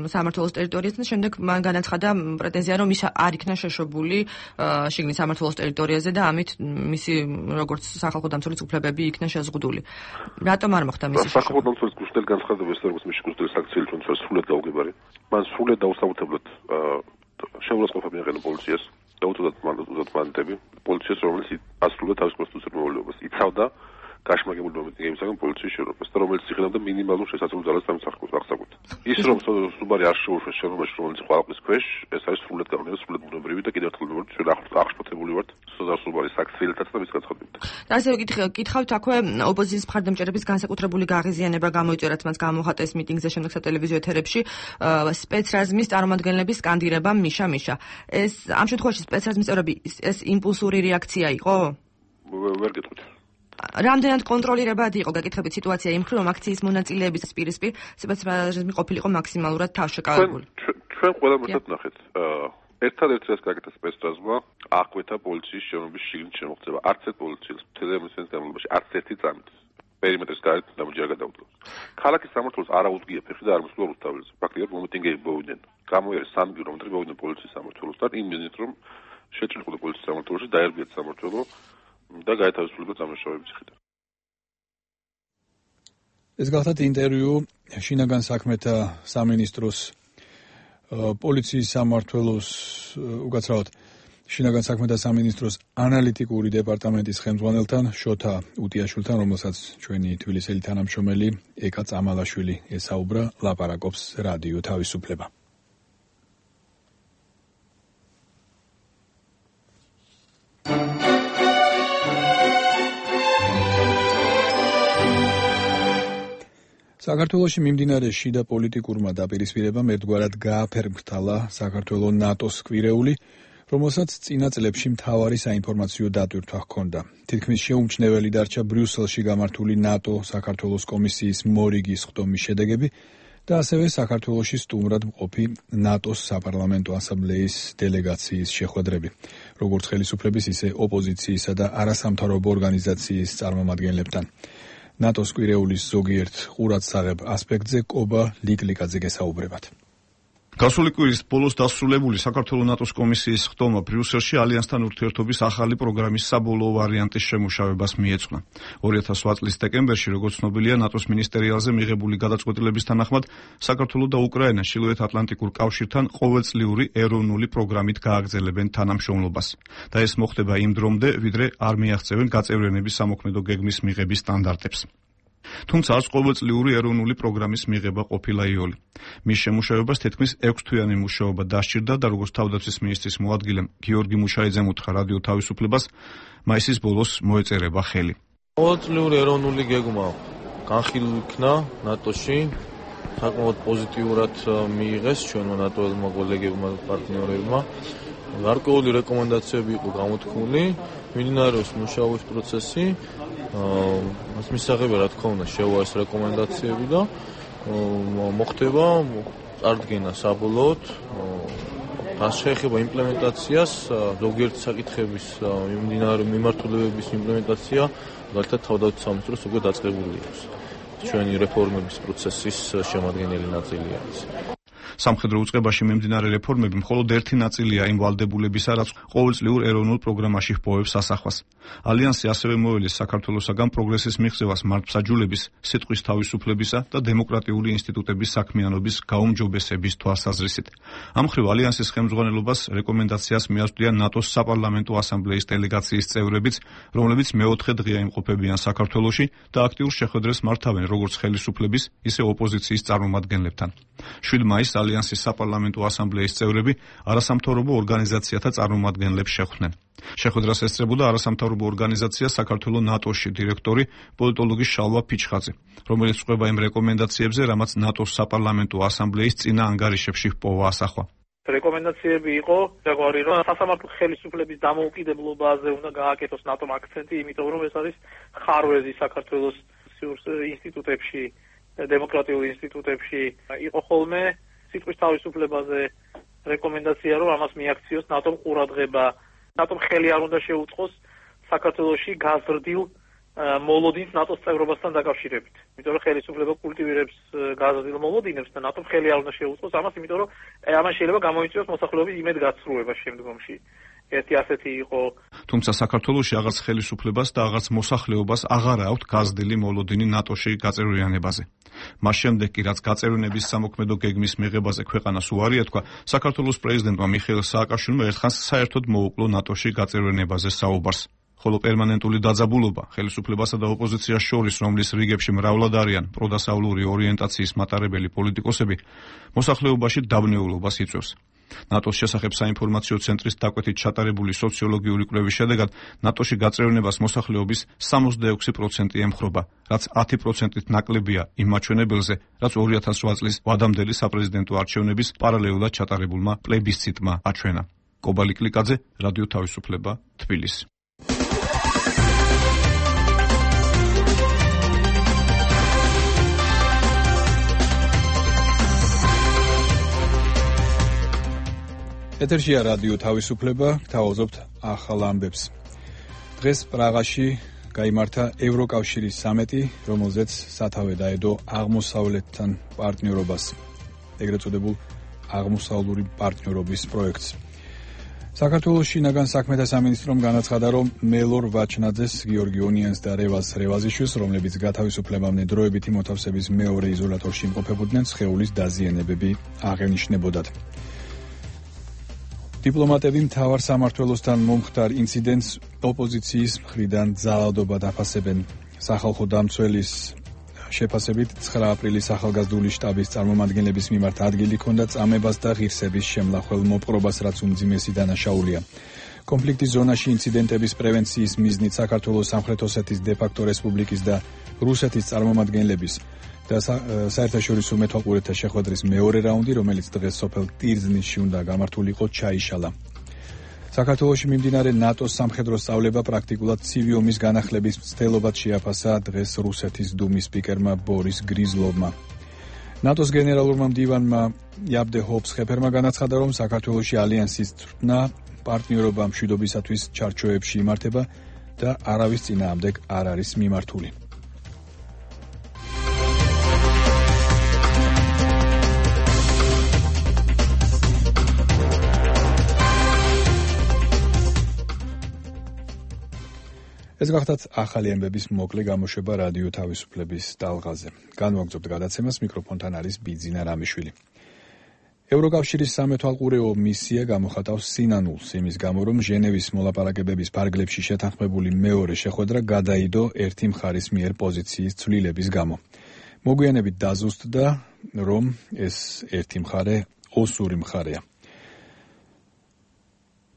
სამმართველოს ტერიტორიაზე და შემდეგ მან განაცხადა პრეტენზია, რომ ის არ იქნა შეშობული შიგნით სამმართველოს ტერიტორიაზე და ამით მისი როგორც სახალხო დამცველის უფლებები იქნა შეზღუდული. რატომ არ მოხდა მისი შეშობა? სახალხო დამცველის გუშინდელი განცხადება ეს როგორც მისი გუშინდელი საქციელი ჩვენ სრულად გაუგებარი. მან სრულად დაუსაბუთებლად შეურაცხყოფა მიაყენა პოლიციას და უთუდათ მანტები პოლიციას, რომელიც ასრულებდა თავის კონსტიტუციურ მოვალეობას. იცავდა გაშმაგებული მომენტებისაგან პოლიციის შენობას და რომელიც იხილავდა მინიმალურ შესაძლო ძალას სამსახურს. ის რომ სუბარი არ შეუშვეს შენობაში, რომელიც ყალყის ქვეშ, ეს არის სრულად გავლენა, სრულად ბუნებრივი და კიდევ ერთხელ ვიმბობთ, ჩვენ აღშფოთებული ვართ სუბარის საქციელთაც და მის განცხადებებით. და ასე კითხავთ აქვე ოპოზიციის მხარდამჭერების განსაკუთრებული გაღიზიანება გამოიწერათ მას გამოხატეს მიტინგზე, შემდეგ სატელევიზიო ეთერებში სპეცრაზმის წარმომადგენლების სკანდირება მიშა მიშა. ეს ამ შემთხვევაში სპეცრაზმის წევრები ეს იმპულსური რეაქცია იყო? ვერ გეტყვით. რამდენად კონტროლირებადი იყო გაკითხებით სიტუაცია იმ მხრივ, რომ აქციის მონაწილეების პირისპირ სპეცრაზმი ყოფილიყო მაქსიმალურად თავშეკავებული. ჩვენ ყველა მოსად ნახეთ. ერთადერთი რაც გაკეთა სპეცრაზმმა, აკვეთა პოლიციის შენობის შიგნით შემოღწევა. არც ერთ პოლიციელს თელემისის განმავლობაში არც ერთი წამით პერიმეტრის გარეთ ნამუჯი არ გადაუდგა. ქალაქის სამმართველოს არ აუდგია ფეხი და არ მოსულა რუსთაველზე. ფაქტიურად მომიტინგეები მოვიდნენ. გამოიერეს 3 კილომეტრი მოვიდნენ პოლიციის სამმართველოსთან, იმ მიზნით რომ შეჭრილიყო პოლიციის სამმართველოში, დაერბიათ სამმართველო და გაეთავისუფლება წამოშავების ციხიდან. ეს გახლავთ ინტერვიუ შინაგან საქმეთა სამინისტროს პოლიციის სამმართველოს უკაცრავად შინაგან საქმეთა სამინისტროს ანალიტიკური დეპარტამენტის ხელმძღვანელთან შოთა უტიაშვილთან, რომელსაც ჩვენი თბილისელი თანამშრომელი ეკა წამალაშვილი ესაუბრა, ლაპარაკობს რადიო თავისუფლება. საქართველოში მიმდინარე შიდა პოლიტიკურმა დაპირისპირებამ ერთგვარად გააფერმხტალა საქართველოს ნატოს კვირეული, რომელსაც წინა წლებში მთავარი საინფორმაციო დატვირთვა ჰქონდა. თითქმის შეუმჩნეველი დარჩა ბრიუსელში გამართული ნატო-საქართველოს კომისიის მორიგის ხდომის შედეგები და ასევე საქართველოში სტუმრად მყოფი ნატოს საპარლამენტო ასამბლეის დელეგაციის შეხვედრები, როგორც ხელისუფლების, ისე ოპოზიციისა და არასამთავრობო ორგანიზაციის წარმომადგენლებთან. ნატოს კვირეულის ზოგიერთ ყურადსაღებ ასპექტზე კობა ლიკლიკაძე გესაუბრებათ. გასული კვირის ბოლოს დასრულებული საქართველოს ნატოს კომისიის ხდომა ბრიუსელში ალიანსთან ურთიერთობის ახალი პროგრამის საბოლოო ვარიანტის შემუშავებას მიეძღვნა. 2008 წლის დეკემბერში, როგორც ცნობილია, ნატოს მინისტერიალზე მიღებული გადაწყვეტილების თანახმად საქართველოს და უკრაინა ჩრდილოეთ-ატლანტიკურ კავშირთან ყოველწლიური ეროვნული პროგრამით გააგრძელებენ თანამშრომლობას. და ეს მოხდება იმ დრომდე, ვიდრე არ მიაღწევენ გაწევრიანების სამოქმედო გეგმის მიღების სტანდარტებს. თუმცა არც ყოველწლიური ეროვნული პროგრამის მიღება ყოფილა იოლი. მის შემუშავებას თითქმის 6 თვიანი მუშაობა დასჭირდა და როგორც თავდაცვის მინისტრის მოადგილემ გიორგი მუშაიძემ უთხრა რადიო თავისუფლებას, მაისის ბოლოს მოეწერება ხელი. ყოველწლიური ეროვნული გეგმა განხილულ იქნა ნატოში საკმაოდ პოზიტიურად მიიღეს ჩვენმა ნატოელმა კოლეგებმა და პარტნიორებმა. გარკვეული რეკომენდაციები იყო გამოთქმული, მიმდინარეობს მუშაობის პროცესი. მას მისაღებია, რა თქმა უნდა, შევა ეს რეკომენდაციები და მოხდება წარდგენა საბოლოოდ. რაც შეეხება იმპლემენტაციას, ზოგიერთი საკითხების მიმართულებების იმპლემენტაცია, მაგალითად თავდაცვის სამინისტროს უკვე დაწყებული აქვს. ჩვენი რეფორმების პროცესის შემადგენელი ნაწილია ეს. სამხედრო უწყებაში მიმდინარე რეფორმები მხოლოდ ერთი ნაწილია იმ ვალდებულებისა, რაც ყოველწლიურ ეროვნულ პროგრამაში ჰპოვებს ასახვას. ალიანსი ასევე მოელეს საქართველოსაგან პროგრესის მიღწევას მართლმსაჯულების, სიტყვის თავისუფლებისა და დემოკრატიული ინსტიტუტების საქმიანობის გაუმჯობესების თვალსაზრისით. ამ მხრივ ალიანსის ხელმძღვანელობას რეკომენდაციას მიაწვდიან ნატოს საპარლამენტო ასამბლეის დელეგაციის წევრებიც, რომლებიც მეოთხე დღეა იმყოფებიან საქართველოში და აქტიურ შეხვედრას მართავენ როგორც ხელისუფლების, ისე ოპოზიციის წარმომადგენლებთან. 7 მაისს ალიანსის საპარლამენტო ასამბლეის წევრები არასამთავრობო ორგანიზაციათა წარმომადგენლებს შეხვდნენ. შეხვედრას ესწრებოდა არასამთავრობო ორგანიზაცია საქართველოს ნატოში დირექტორი პოლიტოლოგი შალვა ფიჩხაძე, რომელიც ყვება იმ რეკომენდაციებზე, რამაც ნატოს საპარლამენტო ასამბლეის წინა ანგარიშებში ჰპოვა ასახვა. რეკომენდაციები იყო როგორი რომ სასამართლო ხელისუფლების დამოუკიდებლობაზე უნდა გააკეთოს ნატომ აქცენტი, იმიტომ რომ ეს არის ხარვეზი საქართველოს ინსტიტუტებში, დემოკრატიულ ინსტიტუტებში იყო ხოლმე სიტყვის თავისუფლებაზე რეკომენდაცია, რომ ამას მიაქციოს ნატომ ყურადღება. ნატომ ხელი არ უნდა შეუწყოს საქართველოში გაზრდილ მოლოდინს ნატოს წევრობასთან დაკავშირებით. იმიტომ რომ ხელისუფლება კულტივირებს გაზრდილ მოლოდინებს და ნატომ ხელი არ უნდა შეუწყოს ამას, იმიტომ რომ ამან შეიძლება გამოიწვიოს მოსახლეობის იმედგაცრუება შემდგომში. ერთი ასეთი იყო. თუმცა საქართველოში აღარც ხელისუფლებას და აღარც მოსახლეობას აღარ აქვთ გაზრდილი მოლოდინი ნატოში გაწევრიანებაზე. მას შემდეგ კი რაც გაწევრიანების სამოქმედო გეგმის მიღებაზე ქვეყანას უარი ეთქვა, საქართველოს პრეზიდენტმა მიხეილ სააკაშვილმა ერთხანს საერთოდ მოუკლო ნატოში გაწევრიანებაზე საუბარს. ხოლო პერმანენტული დაძაბულობა ხელისუფლებასა და ოპოზიციას შორის, რომლის რიგებში მრავლად არიან პროდასავლური ორიენტაციის მატარებელი პოლიტიკოსები, მოსახლეობაში დაბნეულობას იწვევს. ნატოს შესახებ საინფორმაციო ცენტრის დაკვეთით ჩატარებული სოციოლოგიური კვლევის შედეგად ნატოში გაწევრიანებას მოსახლეობის 66% ემხრობა, რაც 10%-ით ნაკლებია იმ მაჩვენებელზე, რაც 2008 წლის ვადამდელი საპრეზიდენტო არჩევნების პარალელურად ჩატარებულმა პლებისციტმა აჩვენა. კობალი კლიკაძე, რადიო თავისუფლება, თბილისი. ეთერშია რადიო თავისუფლება, გთავაზობთ ახალ ამბებს. დღეს პრაღაში გაიმართა ევროკავშირის სამეტი, რომელზეც სათავე დაედო აღმოსავლეთთან პარტნიორობას, ეგრეთ წოდებულ აღმოსავლური პარტნიორობის პროექტს. საქართველოს შინაგან საქმეთა სამინისტრომ განაცხადა, რომ მელორ ვაჩნაძეს, გიორგი ონიანს და რევაზ რევაზიშვილს, რომლებიც გათავისუფლებამდე დროებითი მოთავსების მეორე იზოლატორში იმყოფებოდნენ, სხეულის დაზიანებები აღენიშნებოდათ. დიპლომატები მთავარ სამმართველოსთან მომხდარ ინციდენტს ოპოზიციის მხრიდან ძალადობად აფასებენ. სახალხო დამცველის შეფასებით 9 აპრილის ახალგაზრდული შტაბის წარმომადგენლების მიმართ ადგილი ჰქონდა წამებას და ღირსების შემლახველ მოპყრობას, რაც უმძიმესი დანაშაულია. კონფლიქტის ზონაში ინციდენტების პრევენციის მიზნით საქართველოს სამხრეთ ოსეთის დე-ფაქტო რესპუბლიკის და რუსეთის წარმომადგენლების და საერთაშორისო მეთვალყურეთა შეხვედრის მეორე რაუნდი, რომელიც დღეს სოფელ ტირზნისში უნდა გამართულიყო, ჩაიშალა. საქართველოში მიმდინარე ნატოს სამხედრო სწავლება პრაქტიკულად ცივი ომის განახლების მცდელობად შეაფასა დღეს რუსეთის დუმის სპიკერმა ბორის გრიზლოვმა. ნატოს გენერალურმა მდივანმა იაბდე ჰობსხეფერმა განაცხადა, რომ საქართველოში ალიანსის წვრთნა პარტნიორობა მშვიდობისათვის ჩარჩოებში იმართება და არავის წინააღმდეგ არ არის მიმართული. ეს გახდათ ახალი ამბების მოკლე გამოშვება რადიო თავისუფლების ტალღაზე. განვაგრძობთ გადაცემას, მიკროფონთან არის ბიძინა რამიშვილი. ევროკავშირის სამეთვალყურეო მისია გამოხატავს სინანულს იმის გამო, რომ ჟენევის მოლაპარაკებების ფარგლებში შეთანხმებული მეორე შეხვედრა გადაიდო ერთი მხარის მიერ პოზიციის ცვლილების გამო. მოგვიანებით დაზუსტდა, რომ ეს ერთი მხარე ოსური მხარეა.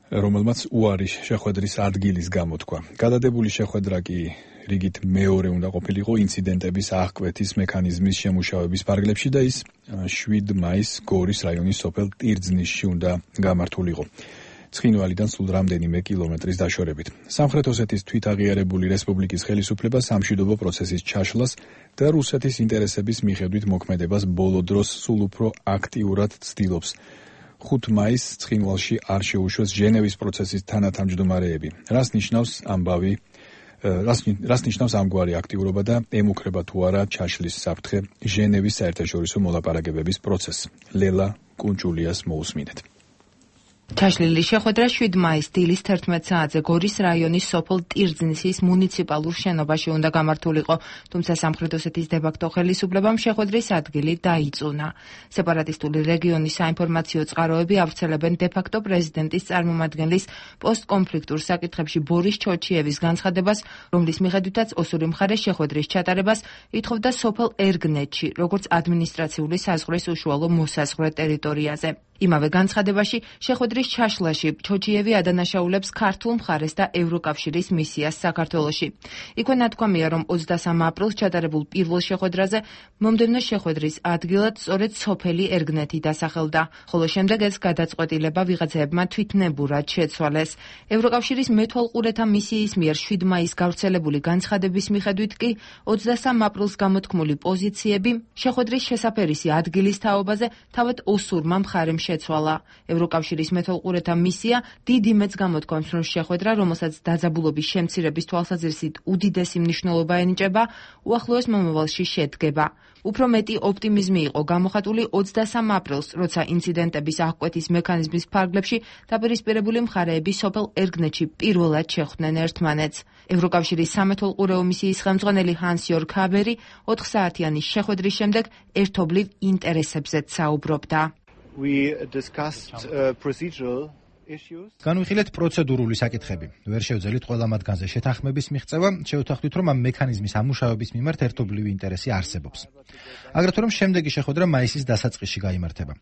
რომელმაც უარი შეხვედრის ადგილის გამოთქვა. გადადებული შეხვედრა კი რიგით მეორე უნდა ყოფილიყო ინციდენტების აღკვეთის მექანიზმის შემუშავების ფარგლებში და ის 7 მაისს გორის რაიონის სოფელ ტირძნიშში უნდა გამართულიყო. ცხინვალიდან სულ რამდენიმე კილომეტრის დაშორებით. სამხრეთ ოსეთის თვითაღიარებული რესპუბლიკის ხელისუფლება სამშვიდობო პროცესის ჩაშლას და რუსეთის ინტერესების მიხედვით მოქმედებას ბოლო დროს სულ უფრო აქტიურად ცდილობს. 5 მაისს ცხინვალში არ შეუშვეს ჟენევის პროცესის თანათავმჯდომარეები. რას ნიშნავს ამგვარი აქტიურობა და ემუქრება თუ არა ჩაშლის საფრთხე ჟენევის საერთაშორისო მოლაპარაკებების პროცესს? ლელა კუნჭულიას მოусმინეთ. ჩაშლილი შეხვედრა 7 მაისს დილის 11 საათზე გორის რაიონის სოფელ ტირძნისის მუნიციპალურ შენობაში უნდა გამართულიყო, თუმცა სამხრეთ ოსეთის დე-ფაქტო ხელისუფლებამ შეხვედრის ადგილი დაიწუნა. სეპარატისტული რეგიონის საინფორმაციო წყაროები ავრცელებენ დე-ფაქტო პრეზიდენტის წარმომადგენლის პოსტკონფლიქტურ საკითხებში ბორის ჩოჩიევის განცხადებას, რომლის მიხედვითაც ოსური მხარე შეხვედრის ჩატარებას ითხოვდა სოფელ ერგნეთში, როგორც ადმინისტრაციული საზღვრის უშუალო მოსაზღვრე ტერიტორიაზე. იმავე განცხადებაში შეხვედრის ჩაშლაში ჩოჩიევი ადანაშაულებს ქართულ მხარეს და ევროკავშირის მისიას საქართველოში. იქვე ნათქვამია, რომ 23 აპრილს ჩატარებულ პირველ შეხვედრაზე მომდევნო შეხვედრის ადგილად სწორედ სოფელი ერგნეთი დასახელდა, ხოლო შემდეგ ეს გადაწყვეტილება ვიღაცებმა თვითნებურად შეცვალეს. ევროკავშირის მეთვალყურეთა მისიის მიერ 7 მაისს გავრცელებული განცხადების მიხედვით კი 23 აპრილს გამოთქმული პოზიციები შეხვედრის შესაფერისი ადგილის თაობაზე თავად ოსურმა მხარემ შეცვალა. ევროკავშირის მეთვალყურეთა მისია დიდ იმედს გამოთქვამს, რომ შეხვედრა, რომელსაც დაძაბულობის შემცირების თვალსაზრისით უდიდესი მნიშვნელობა ენიჭება, უახლოეს მომავალში შედგება. უფრო მეტი ოპტიმიზმი იყო გამოხატული 23 აპრილს, როცა ინციდენტების აღკვეთის მექანიზმის ფარგლებში დაპირისპირებული მხარეები სოფელ ერგნეთში პირველად შეხვდნენ ერთმანეთს. ევროკავშირის სამეთვალყურეო მისიის ხელმძღვანელი ჰანს-იორგ ჰაბერი 4 საათიანი შეხვედრის შემდეგ ერთობლივ ინტერესებზეც საუბრობდა. განვიხილეთ პროცედურული საკითხები. ვერ შევძელით ყველა მათგანზე შეთანხმების მიღწევა, შევთანხმდით, რომ ამ მექანიზმის ამუშავების მიმართ ერთობლივი ინტერესი არსებობს. აგრეთვე რომ შემდეგი შეხვედრა მაისის დასაწყისში გაიმართება.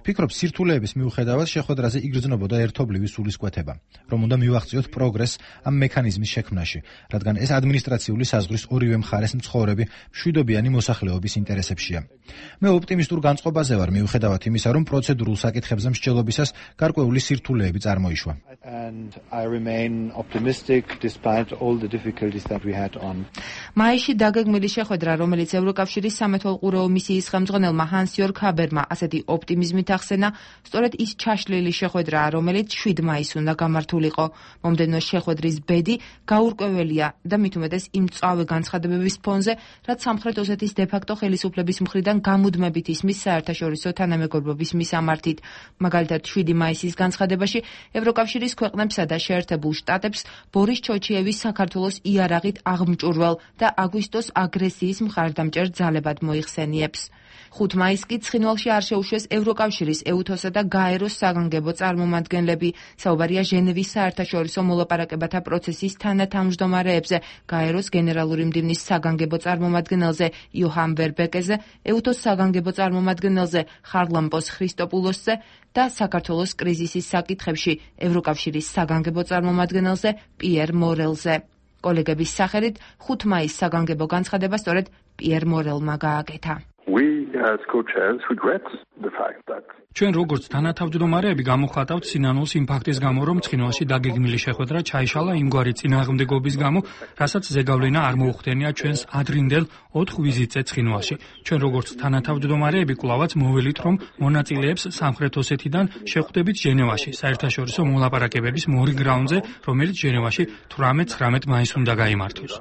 ვფიქრობ, სირთულეების მიუხედავად შეხვედრაზე იგრძნობოდა ერთობლივი სულისკვეთება, რომ უნდა მივაღწიოთ პროგრესს ამ მექანიზმის შექმნაში, რადგან ეს ადმინისტრაციული საზღვრის ორივე მხარეს მცხოვრები მშვიდობიანი მოსახლეობის ინტერესებშია. მე ოპტიმისტურ განწყობაზე ვარ, მიუხედავად იმისა, რომ პროცედურულ საკითხებზე მსჯელობისას გარკვეული სირთულეები წარმოიშვა. მაისში დაგეგმილი შეხვედრა, რომელიც ევროკავშირის სამეთვალყურეო მისიის ხელმძღვანელმა ჰანს-იორგ ჰაბერმა ასეთი ოპტიმიზმით ახსენა, სწორედ ის ჩაშლილი შეხვედრაა, რომელიც 7 მაისს უნდა გამართულიყო. მომდევნო შეხვედრის ბედი გაურკვეველია და მით უმეტეს იმ მწვავე განცხადებების ფონზე, რაც სამხრეთ ოსეთის დე-ფაქტო ხელისუფლების მხრიდან გამუდმებით ისმის საერთაშორისო თანამეგობრობის მისამართით. მაგალითად 7 მაისის განცხადებაში ევროკავშირის ქვეყნებსა და შეერთებულ შტატებს ბორის ჩოჩიევის საქართველოს იარაღით აღმჭურვალ და აგვისტოს აგრესიის მხარდამჭერ ძალებად მოიხსენიებს. 5 მაისს კი ცხინვალში არ შეუშვეს ევროკავშირის ეუთოსა და გაეროს საგანგებო წარმომადგენლები. საუბარია ჟენევის საერთაშორისო მოლაპარაკებათა პროცესის თანათავმჯდომარეებზე, გაეროს გენერალური მდივნის საგანგებო წარმომადგენელზე იოჰან ვერბეკეზე, ეუთოს საგანგებო წარმომადგენელზე ხარლამპოს ხრისტოპულოსზე და საქართველოს კრიზისის საკითხებში ევროკავშირის საგანგებო წარმომადგენელზე პიერ მორელზე. კოლეგების სახელით 5 მაისს საგანგებო განცხადება სწორედ პიერ მორელმა გააკეთა. ჩვენ როგორც თანათავმჯდომარეები გამოხატავთ სინანულს იმ ფაქტის გამო, რომ ცხინვალში დაგეგმილი შეხვედრა ჩაიშალა იმგვარი წინააღმდეგობის გამო, რასაც ზეგავლენა არ მოუხდენია ჩვენს ადრინდელ 4 ვიზიტზე ცხინვალში. ჩვენ როგორც თანათავმჯდომარეები კვლავაც მოველით, რომ მონაწილეებს სამხრეთ ოსეთიდან შეხვდებით ჟენევაში, საერთაშორისო მოლაპარაკებების მორიგ რაუნდზე, რომელიც ჟენევაში 18-19 მაისს უნდა გაიმართოს.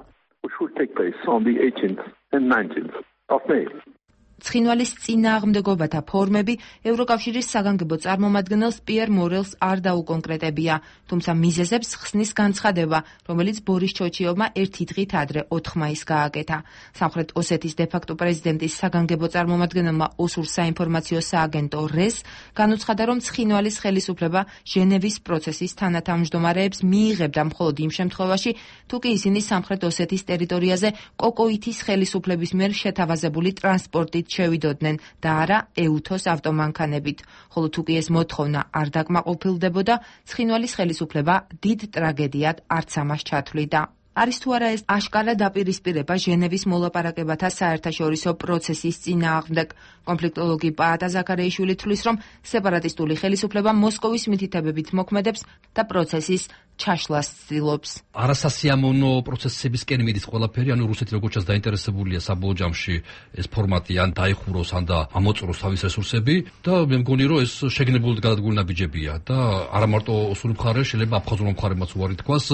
ცხინვალის წინააღმდეგობათა ფორმები ევროკავშირის საგანგებო წარმომადგენელს პიერ მორელს არ დაუკონკრეტებია, თუმცა მიზეზებს ხსნის განცხადება, რომელიც ბორის ჩოჩიევმა ერთი დღით ადრე 4 მაისს გააკეთა. სამხრეთ ოსეთის დე-ფაქტო პრეზიდენტის საგანგებო წარმომადგენელმა ოსურ საინფორმაციო სააგენტო რეს განუცხადა, რომ ცხინვალის ხელისუფლება ჟენევის პროცესის თანათავმჯდომარეებს მიიღებდა მხოლოდ იმ შემთხვევაში, თუ კი ისინი სამხრეთ ოსეთის ტერიტორიაზე კოკოითის ხელისუფლების მიერ შეთავაზებული ტრანსპორტით შევიდოდნენ და არა ეუთოს ავტომანქანებით. ხოლო თუ კი ეს მოთხოვნა არ დაკმაყოფილდებოდა, ცხინვალის ხელისუფლება დიდ ტრაგედიად არც ამას ჩათვლიდა. არის თუ არა ეს აშკარა დაპირისპირება ჟენევის მოლაპარაკებათა საერთაშორისო პროცესის წინააღმდეგ. კონფლიქტოლოგი პაატა ზაქარეიშვილი თვლის, რომ სეპარატისტული ხელისუფლება მოსკოვის მითითებებით მოქმედებს და პროცესის ჩაშლას ცდილობს. არასასიამოვნო პროცესებისკენ მიდის ყველაფერი, ანუ რუსეთი როგორც ჩანს დაინტერესებულია საბოლოო ჯამში ეს ფორმატი ან დაიხუროს, ან და ამოწუროს თავის რესურსები და მე მგონი, რომ ეს შეგნებულად გადადგმული ნაბიჯებია და არა მარტო ოსური მხარე, შეიძლება აფხაზურ მხარემაც უარი თქვას.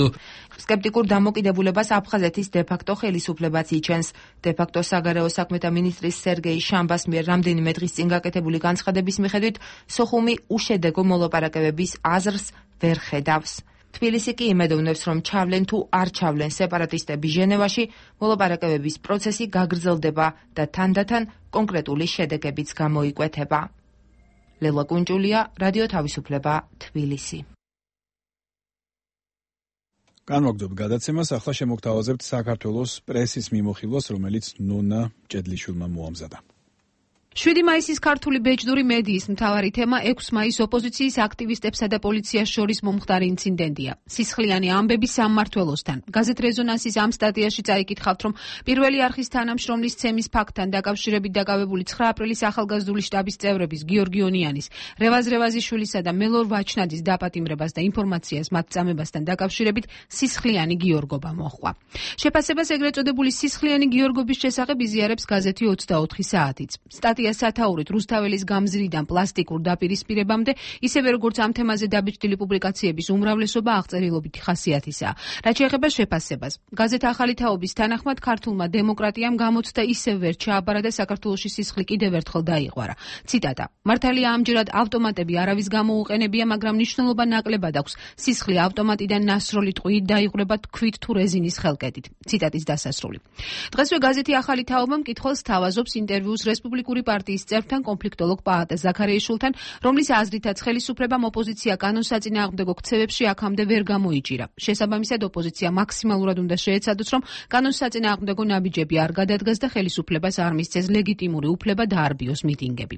სკეპტიკურ დამოკიდებულებას აფხაზეთის დე-ფაქტო ხელისუფლებაც იჩენს. დე-ფაქტო საგარეო საქმეთა მინისტრის სერგეი შამბას მიერ რამდენიმე დღის წინ გაკეთებული განცხადების მიხედვით, სოხუმი უშედეგო მოლაპარაკებების აზრს ვერ ხედავს. თბილისი კი იმედოვნებს, რომ ჩავლენ თუ არ ჩავლენ სეპარატისტები ჟენევაში, მოლაპარაკებების პროცესი გაგრძელდება და თანდათან კონკრეტული შედეგებიც გამოიკვეთება. ლელა კუნჭულია, რადიო თავისუფლება, თბილისი. განვაგრძობ გადაცემას, ახლა შემოგთავაზებთ საქართველოს პრესის მიმოხილვას, რომელიც ნონა ჭედლიშვილმა მოამზადა. 7 მაისის ქართული ბეჭდური მედიის მთავარი თემა 6 მაის ოპოზიციის აქტივისტებსა და პოლიციას შორის მომხდარი ინციდენტია. სისხლიანი ამბები სამმართველოსთან. გაზეთ რეზონანსის ამ სტატიაში წაიკითხავთ, რომ პირველი არხის თანამშრომლის ცემის ფაქტთან დაკავშირებით დაკავებული 9 აპრილის ახალგაზრდული შტაბის წევრების გიორგი ონიანის, რევაზ რევაზიშვილისა და მელორ ვაჩნაძის დაპატიმრებას და ინფორმაციას მათ წამებასთან დაკავშირებით სისხლიანი გიორგობა მოჰყვა. შეფასებას ეგრეთ წოდებული სისხლიანი გიორგობის შესახებ იზიარებს გაზეთი 24 საათიც. სათაურით რუსთაველის გამზრიდან პლასტიკურ დაპირისპირებამდე, ისევე როგორც ამ თემაზე დაბეჭდილი პუბლიკაციების უმრავლესობა აღწერილობითი ხასიათისაა. რაც შეეხება შეფასებას, გაზეთ ახალი თაობის თანახმად ქართულმა დემოკრატიამ გამოცდა ისევ ვერ ჩააბარა და საქართველოში სისხლი კიდევ ერთხელ დაიღვარა. ციტატა: მართალია ამჯერად ავტომატები არავის გამოუყენებია, მაგრამ მნიშვნელობა ნაკლებად აქვს. სისხლი ავტომატიდან ნასროლი ტყვიით დაიღვრება თქვით თუ რეზინის ხელკედით. ციტატის დასასრული. დღესვე გაზეთი ახალი თაობა მკითხველს თავაზობს ინტერვიუს რესპუბლიკური პარტიის წევრთან კონფლიქტოლოგ პაატა ზაქარეიშვილთან, რომლის აზრითაც ხელისუფლებამ ოპოზიცია კანონსაწინააღმდეგო ქცევებში აქამდე ვერ გამოიჭირა. შესაბამისად, ოპოზიცია მაქსიმალურად უნდა შეეცადოს, რომ კანონსაწინააღმდეგო ნაბიჯები არ გადადგას და ხელისუფლებას არ მისცეს ლეგიტიმური უფლება დაარბიოს მიტინგები.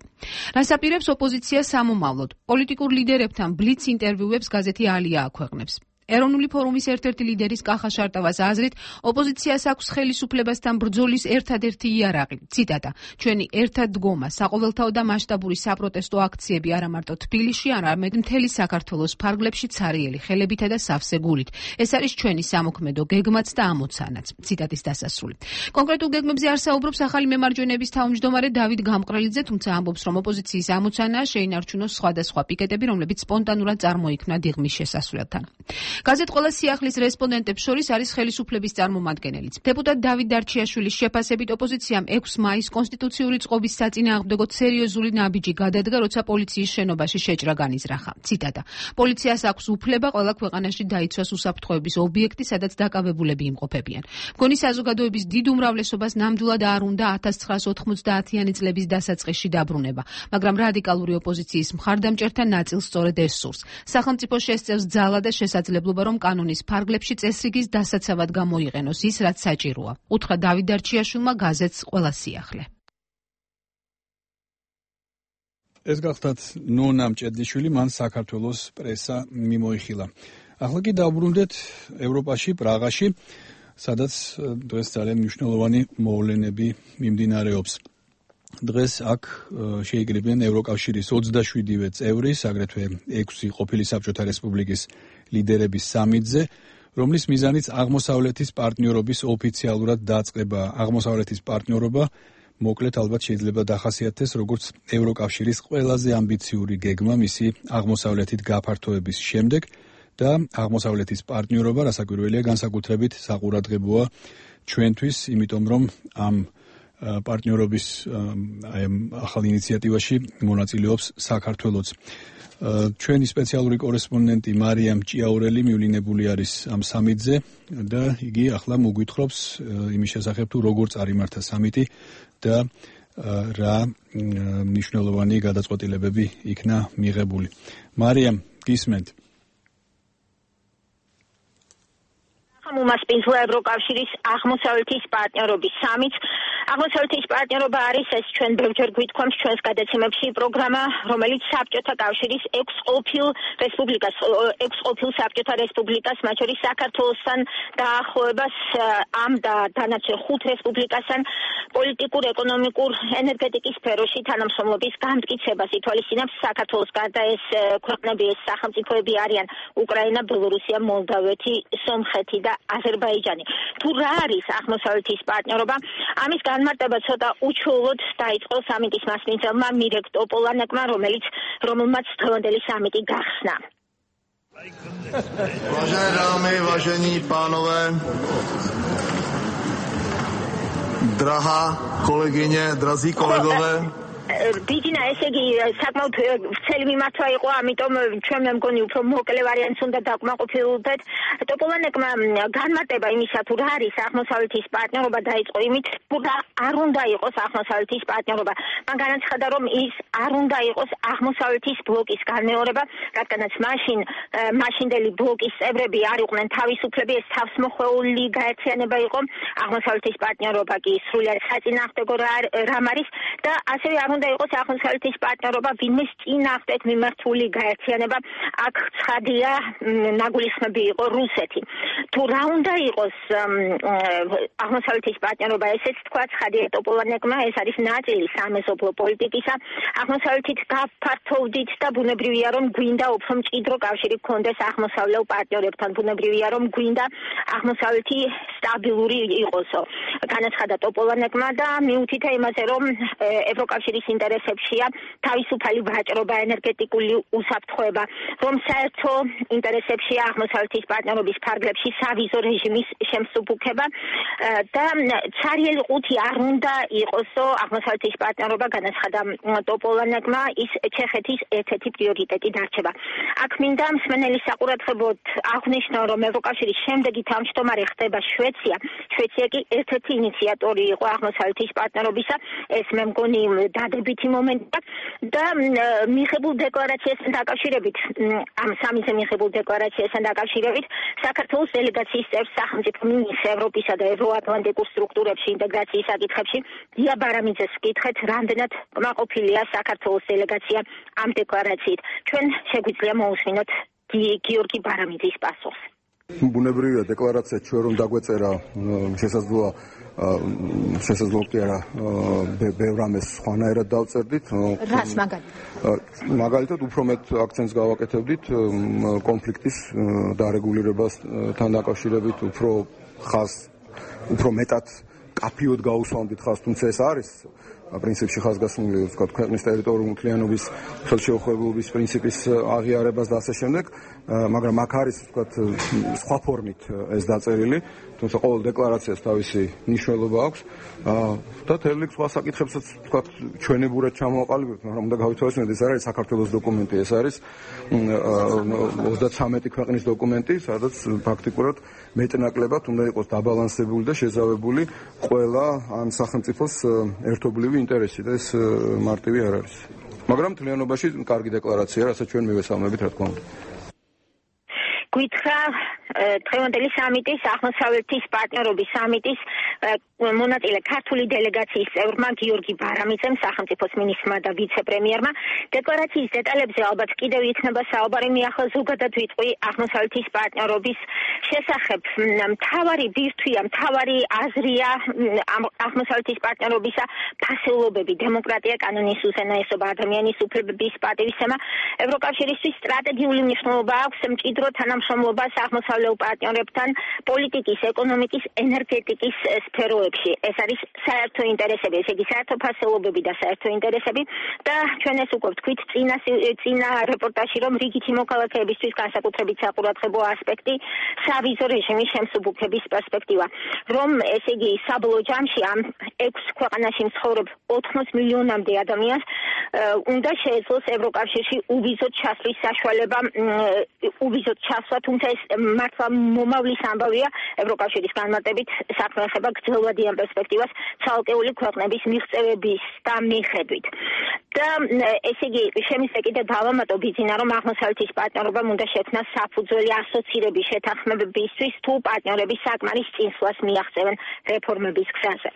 რას აპირებს ოპოზიცია სამომავლოდ? პოლიტიკურ ლიდერებთან ბლიც ინტერვიუებს გაზეთი ალია აქვეყნებს. ეროვნული ფორუმის ერთ-ერთი ლიდერის კახა შარტავას აზრით, ოპოზიციას აქვს ხელისუფლებასთან ბრძოლის ერთადერთი იარაღი. ციტატა: ჩვენი ერთად დგომა, საყოველთაო და მასშტაბური საპროტესტო აქციები არა მარტო თბილისში, არამედ მთელი საქართველოს ფარგლებში ცარიელი ხელებითა და სავსე გულით. ეს არის ჩვენი სამოქმედო გეგმაც და ამოცანაც. ციტატის დასასრული. კონკრეტულ გეგმებზე არ საუბრობს ახალი მემარჯვენეების თავმჯდომარე დავით გამყრელიძე, თუმცა ამბობს, რომ ოპოზიციის ამოცანაა შეინარჩუნოს სხვადასხვა პიკეტები, რომლებიც სპონტანურად წარმოიქმნა დიღმის შესასვლელთან. გაზეთ ყველა სიახლის რესპონდენტებს შორის არის ხელისუფლების წარმომადგენელიც. დეპუტატ დავით დარჩიაშვილის შეფასებით ოპოზიციამ 6 მაის კონსტიტუციური წყობის საწინააღმდეგოდ სერიოზული ნაბიჯი გადადგა, როცა პოლიციის შენობაში შეჭრა განიზრახა. ციტატა: პოლიციას აქვს უფლება ყველა ქვეყანაში დაიცვას უსაფრთხოების ობიექტი, სადაც დაკავებულები იმყოფებიან. მგონი საზოგადოების დიდ უმრავლესობას ნამდვილად არ უნდა 1990-იანი წლების დასაწყისში დაბრუნება, მაგრამ რადიკალური ოპოზიციის მხარდამჭერთა ნაწილს სწორედ ეს სურს. სახელმწიფო შესწევს ძალა და შესაძლებლობა, რომ კანონის ფარგლებში წესრიგის დასაცავად გამოიყენოს ის, რაც საჭიროა. უთხრა დავით დარჩიაშვილმა გაზეთს ყველა სიახლე. ეს გახლდათ ნონა ჭედლიშვილი, მან საქართველოს პრესა მიმოიხილა. ახლა კი დავბრუნდეთ ევროპაში, პრაღაში, სადაც დღეს ძალიან მნიშვნელოვანი მოვლენები მიმდინარეობს. დღეს აქ შეიკრიბნენ ევროკავშირის 27-ვე წევრის, აგრეთვე 6 ყოფილი საბჭოთა რესპუბლიკის ლიდერების სამიტზე, რომლის მიზანიც აღმოსავლეთის პარტნიორობის ოფიციალურად დაწყება. აღმოსავლეთის პარტნიორობა მოკლედ ალბათ შეიძლება დახასიათდეს როგორც ევროკავშირის ყველაზე ამბიციური გეგმა მისი აღმოსავლეთით გაფართოების შემდეგ და აღმოსავლეთის პარტნიორობა, რასაკვირველია, განსაკუთრებით საყურადღებოა ჩვენთვის, იმიტომ რომ ამ პარტნიორობის ახალ ინიციატივაში მონაწილეობს საქართველოც. ჩვენი სპეციალური კორესპონდენტი მარიამ ჭიაურელი მივლინებული არის ამ სამიტზე და იგი ახლა მოგვითხრობს იმის შესახებ, თუ როგორ წარიმართა სამიტი და რა მნიშვნელოვანი გადაწყვეტილებები იქნა მიღებული. მარიამ, გისმენთ? უმასპინძლა ევროკავშირის აღმოსავლეთის პარტნიორობის სამიტს აღმოსავლეთის პარტნიორობა არის ეს ჩვენ ბევრჯერ გვითქვამს ჩვენს გადაცემებში პროგრამა, რომელიც საბჭოთა კავშირის 6 ყოფილ საბჭოთა რესპუბლიკას, მათ შორის საქართველოსთან დაახლოებას ამ და დანარჩენ 5 რესპუბლიკასთან პოლიტიკურ, ეკონომიკურ, ენერგეტიკის სფეროში თანამშრომლობის განმტკიცებას ითვალისწინებს. საქართველოს გარდა ეს ქვეყნები, ეს სახელმწიფოები არიან უკრაინა, ბელორუსია, მოლდავეთი, სომხეთი და აზერბაიჯანი. თუ რა არის აღმოსავლეთის პარტნიორობა? ამის განმარტება ცოტა უჩვეულოდ დაიწყო სამიტის მასპინძელმა მირეკ ტოპოლანეკმა, რომელმაც დღევანდელი სამიტი გახსნა. Vážené dámy, vážení pánové, drahá kolegyně, drazí kolegové. ბიჯინა, ესე იგი საკმაოდ ვრცელი მიმართვა იყო, ამიტომ ჩვენ მე მგონი უფრო მოკლე ვარიანტს უნდა დაკმაყოფილდეთ. ტოპოლანეკმა განმარტება იმისა, თუ რა არის აღმოსავლეთის პარტნიორობა, დაიწყო იმით, თუ რა არ უნდა იყოს აღმოსავლეთის პარტნიორობა. მან განაცხადა, რომ ის არ უნდა იყოს აღმოსავლეთის ბლოკის განმეორება, რადგანაც მაშინდელი ბლოკის წევრები არ იყვნენ თავისუფლები, ეს თავსმოხვეული გაერთიანება იყო. აღმოსავლეთის პარტნიორობა კი სრულად საწინააღმდეგო რამ არის და ასევე არ უნდა იყოს აღმოსავლეთის პარტნიორობა ვინმეს წინააღმდეგ მიმართული გაერთიანება. აქ ცხადია, ნაგულისხმები იყო რუსეთი. თუ რა უნდა იყოს აღმოსავლეთის პარტნიორობა, ესეც თქვა ცხადია ტოპოლანეკმა, ეს არის ნაწილი სამეზობლო პოლიტიკისა. აღმოსავლეთით გაფართოვდით და ბუნებრივია, რომ გვინდა უფრო მჭიდრო კავშირი გქონდეს აღმოსავლელ პარტნიორებთან. ბუნებრივია, რომ გვინდა აღმოსავლეთი სტაბილური იყოსო. განაცხადა ტოპოლანეკმა და მიუთითა იმაზე, რომ ევროკავშირის ინტერესებშია თავისუფალი ვაჭრობა, ენერგეტიკული უსაფრთხოება, რომ საერთო ინტერესებშია აღმოსავლეთის პარტნიორობის ფარგლებში სავიზო რეჟიმის შემსუბუქება და ცარიელი ყუთი არ უნდა იყოსო აღმოსავლეთის პარტნიორობა, განაცხადა ტოპოლანეკმა, ის ჩეხეთის ერთ-ერთი პრიორიტეტი დარჩება. აქ მინდა მსმენელის საყურადღებოდ აღვნიშნო, რომ ევროკავშირის შემდეგი თავმჯდომარე ხდება შვეცია. შვეცია კი ერთ-ერთი ინიციატორი იყო აღმოსავლეთის პარტნიორობისა. ეს მე მგონი დადებითი მომენტია და მიღებულ დეკლარაციასთან დაკავშირებით, ამ სამიზე მიღებულ დეკლარაციასთან დაკავშირებით, საქართველოს დელეგაციის წევრ სახელმწიფო მინისტრ ევროპისა და ევროატლანტიკურ სტრუქტურებში ინტეგრაციის საკითხებში დია ბარამიძეს ვკითხეთ, რამდენად კმაყოფილია საქართველოს დელეგაცია ამ დეკლარაციით. ჩვენ შეგვიძლია მოусმინოთ გიორგი ბარამიძის პასუხს. ბუნებრივია დეკლარაცია ჩვენ რომ დაგვეწერა შესაძლოა კი არა ბევრ რამეს სხვანაირად დავწერდით. რას მაგალითად უფრო მეტ აქცენტს გავაკეთებდით კონფლიქტის დარეგულირებასთან დაკავშირებით, უფრო მეტად კაფიოდ გაუსვამდით ხაზს, თუმცა ეს არის პრინციპში ხაზგასმული, ვთქვათ, ქვეყნის ტერიტორიული მთლიანობის ხელშეუხებლობის პრინციპის აღიარებას და ასე შემდეგ, მაგრამ აქ არის, ვთქვათ, სხვა ფორმით ეს დაწერილი, თუმცა ყოველ დეკლარაციას თავისი მნიშვნელობა აქვს და თელი სხვა საკითხებსაც, ვთქვათ, ჩვენებურად ჩამოვაყალიბებთ, მაგრამ უნდა გავითვალისწინოთ, ეს არ არის საქართველოს დოკუმენტი, ეს არის 33 ქვეყნის დოკუმენტი, სადაც ფაქტიკურად მეტნაკლებად უნდა იყოს დაბალანსებული და შეზავებული ყველა ამ სახელმწიფოს ერთობლივი ინტერესი და ეს მარტივი არ არის. მაგრამ მთლიანობაში კარგი დეკლარაცია, რასაც ჩვენ მივესალმებით, რა თქმა უნდა. გითხრა დღევანდელი სამიტის, აღმოსავლეთის პარტნიორობის სამიტის მონაწილე ქართული დელეგაციის წევრმა გიორგი ბარამიძემ, სახელმწიფოს მინისტრმა და ვიცე-პრემიერმა, დეკლარაციის დეტალებზე ალბათ კიდევ იქნება საუბარი, მიახლა ზოგადად ვიტყვი აღმოსავლეთის პარტნიორობის შესახებ. მთავარი ბირთვია, მთავარი აზრია აღმოსავლეთის პარტნიორობისა ფასეულობები, დემოკრატია, კანონის უზენაესობა, ადამიანის უფლებების პატივისცემა. ევროკავშირისთვის სტრატეგიული მნიშვნელობა აქვს მჭიდრო თანამშრომლობას აღმოსავლელ პარტნიორებთან პოლიტიკის, ეკონომიკის, ენერგეტიკის სფეროებში. ეს არის საერთო ინტერესები, ესე იგი საერთო ფასეულობები და საერთო ინტერესები და ჩვენ ეს უკვე ვთქვით წინა რეპორტაჟში, რომ რიგითი მოქალაქეებისთვის განსაკუთრებით საყურადღებო ასპექტი სავიზო რეჟიმის შემსუბუქების პერსპექტივა, რომ ესე იგი საბოლოო ჯამში ამ 6 ქვეყანაში მცხოვრებ 80 მილიონამდე ადამიანს უნდა შეეძლოს ევროკავშირში უვიზოდ ჩასვლის საშუალება, უვიზოდ ჩასვლა, თუმცა ეს მართლა მომავლის ამბავია. ევროკავშირის განმარტებით საქმე ეხება გრძელვადიან პერსპექტივას ცალკეული ქვეყნების მიღწევების და მიხედვით. და ესე იგი შემიძლია კიდე დავამატო ბიძინა რომ აღმოსავლეთის პარტნიორობამ უნდა შექმნას საფუძველი ასოცირების შეთანხმებებისთვის თუ პარტნიორები საკმარის წინსვლას მიაღწევენ რეფორმების გზაზე.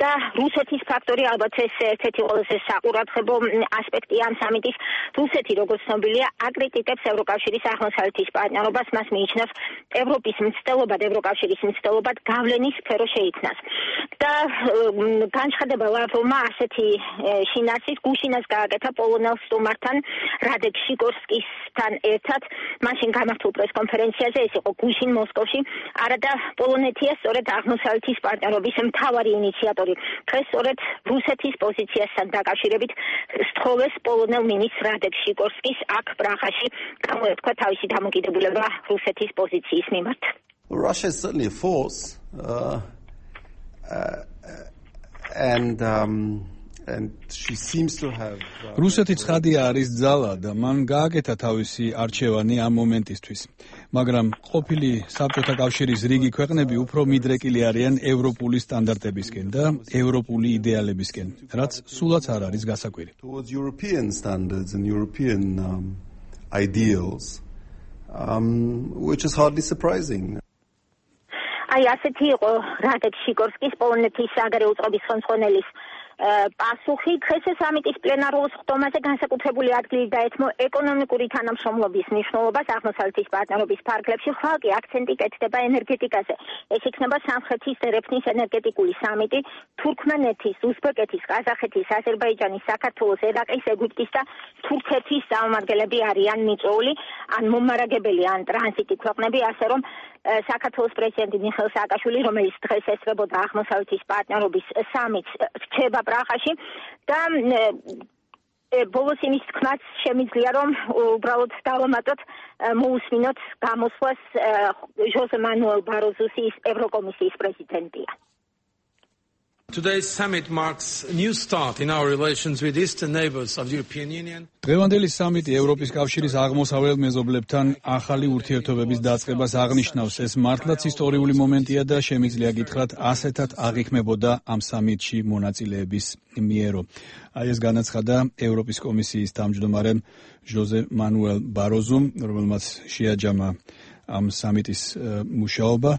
და რუსეთის ფაქტორი ალბათ ეს ერთ-ერთი ყველაზე საყურადღებო ასპექტია ამ სამიტის. რუსეთი როგორც ცნობილია აკრიტიკებს ევროკავშირის აღმოსავლეთის პარტნიორობას, მას მიიჩნევს ევროპის მცდელობად, ევროკავშირის მცდელობად გავლენის სფერო შეიქმნას. და განცხადება ლავროვმა ასეთი შინაარსის გუშინას გააკეთა პოლონელ სტუმართან რადეკ შიკორსკისთან ერთად მაშინ გამართულ პრესკონფერენციაზე, ეს იყო გუშინ მოსკოვში, არადა პოლონეთია სწორედ აღმოსავლეთის პარტნიორობის მთავარი ინიციატორი. დღეს სწორედ რუსეთის პოზიციასთან დაკავშირებით სთხოვეს პოლონელ მინისტრ რადეკ შიკორსკის აქ პრაღაში გამოეთქვა თავისი დამოკიდებულება რუსეთის პოზიციის მიმართ. Russia is certainly a force and she seems to have რუსეთი ცხადია არის ძალა და მან გააკეთა თავისი არჩევანი ამ მომენტისთვის. მაგრამ ყოფილი საბჭოთა კავშირის რიგი ქვეყნები უფრო მიდრეკილი არიან ევროპული სტანდარტებისკენ და ევროპული იდეალებისკენ, რაც სულაც არ არის გასაკვირი. Towards European standards and European ideals, which is hardly surprising. აი ასეთი იყო რადეკ შიკორსკის პოლონეთის საგარეო უწყების ხელმძღვანელის პასუხი. დღეს სამიტის პლენარულ სხდომაზე განსაკუთრებული ადგილი დაეთმო ეკონომიკური თანამშრომლობის მნიშვნელობას აღმოსავლეთის პარტნიორობის ფარგლებში, ხვალ კი აქცენტი კეთდება ენერგეტიკაზე. ეს იქნება სამხრეთის ერევნის ენერგეტიკული სამიტი, თურქმენეთის, უზბეკეთის, ყაზახეთის, აზერბაიჯანის, საქართველოს, ერაყის, ეგვიპტის და თურქეთის წარმომადგენლები არიან მიწვეული, ან მომარაგებელი, ან ტრანზიტი ქვეყნები, ასე რომ საქართველოს პრეზიდენტი მიხეილ სააკაშვილი, რომელიც დღეს ესწრებოდა აღმოსავლეთის პარტნიორობის სამიტს, რჩება პრაღაში და ბოლოს იმის თქმაც შემიძლია რომ უბრალოდ დავამატოთ მოусმინოთ გამოსვლას ჟოზე მანუელ ბაროზუს ევროკომისიის პრეზიდენტია. Today's summit marks a new start in our relations with eastern neighbors of the European Union. დღევანდელი სამიტი ევროპის კავშირის აღმოსავლელ მეზობლებთან ახალი ურთიერთობების დაწყებას აღნიშნავს. ეს მართლაც ისტორიული მომენტია და შემიძლია გითხრათ ასეთად აღიქმებოდა ამ სამიტში მონაწილეების მიერო. აი ეს განაცხადა ევროპის კომისიის თავმჯდომარემ ჟოზე მანუელ ბაროზუმ, რომელმაც შეაჯამა ამ სამიტის მუშაობა.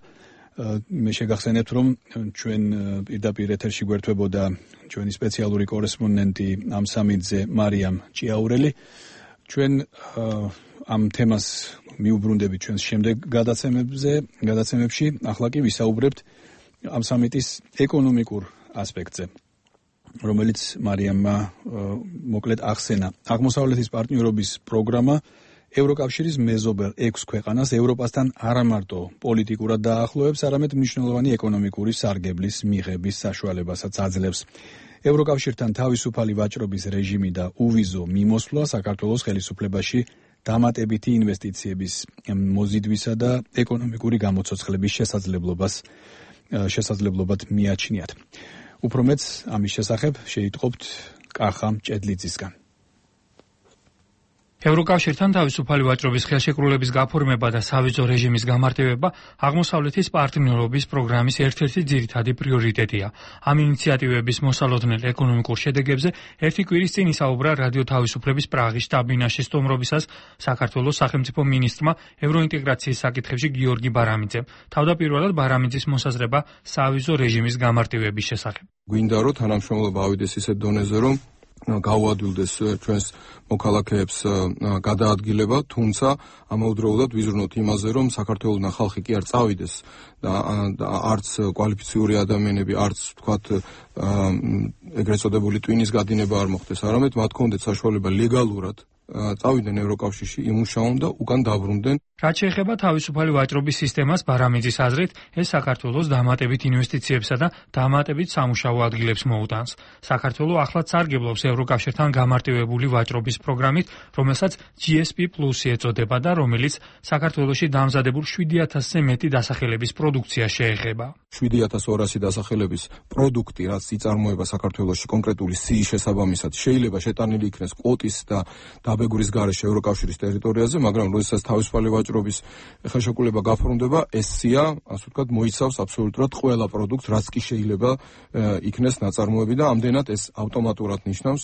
მე შეგახსენებთ რომ ჩვენ პირდაპირ ეთერში გვერდებოდა ჩვენი სპეციალური კორესპონდენტი ამ სამიტზე მარიამ ჭიაურელი. ჩვენ ამ თემას მიუბრუნდებით ჩვენს შემდეგ გადაცემებში. ახლა კი ვისაუბრებთ ამ სამიტის ეკონომიკურ ასპექტზე, რომელიც მარიამმა მოკლედ ახსენა. აღმოსავლეთის პარტნიორობის პროგრამა ევროკავშირის მეზობელ 6 ქვეყანას ევროპასთან არა მარტო პოლიტიკურად დაახლოებს, არამედ მნიშვნელოვანი ეკონომიკური სარგებლის მიღების საშუალებასაც აძლევს. ევროკავშირთან თავისუფალი ვაჭრობის რეჟიმი და უვიზო მიმოსვლა საქართველოს ხელისუფლებაში დამატებითი ინვესტიციების მოზიდვისა და ეკონომიკური გამოცოცხლების შესაძლებლობად მიაჩნიათ. უფრო მეც ამის შესახებ შეიტყობთ კახა ჭედლიძისგან. ევროკავშირთან თავისუფალი ვაჭრობის ხელშეკრულების გაფორმება და სავიზო რეჟიმის გამარტივება აღმოსავლეთის პარტნიორობის პროგრამის ერთ-ერთი ძირითადი პრიორიტეტია. ამ ინიციატივების მოსალოდნელ ეკონომიკურ შედეგებზე ერთი კვირის წინ ისაუბრა რადიო თავისუფლების პრაღის შტაბ-ბინაში სტუმრობისას საქართველოს სახელმწიფო მინისტრმა ევროინტეგრაციის საკითხებში გიორგი ბარამიძემ. თავდაპირველად ბარამიძის მოსაზრება სავიზო რეჟიმის გამარტივების შესახებ. გვინდა რომ თანამშრომლობა ავიდეს ისეთ დონეზე, რომ გავუადვილდეს ჩვენს მოქალაქეებს გადაადგილება, თუმცა ამავდროულად ვიზრუნოთ იმაზე, რომ საქართველოსთან ხალხი კი არ წავიდეს და არც კვალიფიციური ადამიანები, არც თქვათ ეგრეთ წოდებული ტვინის გადინება არ მოხდეს, არამედ მათ კონდეთ საშუალება ლეგალურად წავიდნენ ევროკავშირში, იმუშაონ და უკან დაბრუნდნენ. რაც შეეხება თავისუფალი ვაჭრობის სისტემას, ბარამიძის აზრით, ეს საქართველოს დამატებით ინვესტიციებსა და დამატებით სამუშაო ადგილებს მოუტანს. საქართველო ახლაც სარგებლობს ევროკავშირთან გამარტივებული ვაჭრობის პროგრამით, რომელსაც GSP+ ეწოდება და რომელიც საქართველოში დამზადებულ 7000-ზე მეტი დასახელების პროდუქციას შეეხება. 7200 დასახელების პროდუქტი, რაც იწარმოება საქართველოში კონკრეტული სიის შესაბამისად, შეიძლება შეტანილი იქნეს კვოტის და დაბეგურის გარეშე ევროკავშირის ტერიტორიაზე, მაგრამ როდესაც თავისუფალი ვაჭრობის ხელშეკრულება გაფორმდება, ეს სია, ასე ვთქვათ, მოიცავს აბსოლუტურად ყველა პროდუქტს, რაც კი შეიძლება იქნეს ნაწარმოები და ამდენად ეს ავტომატურად ნიშნავს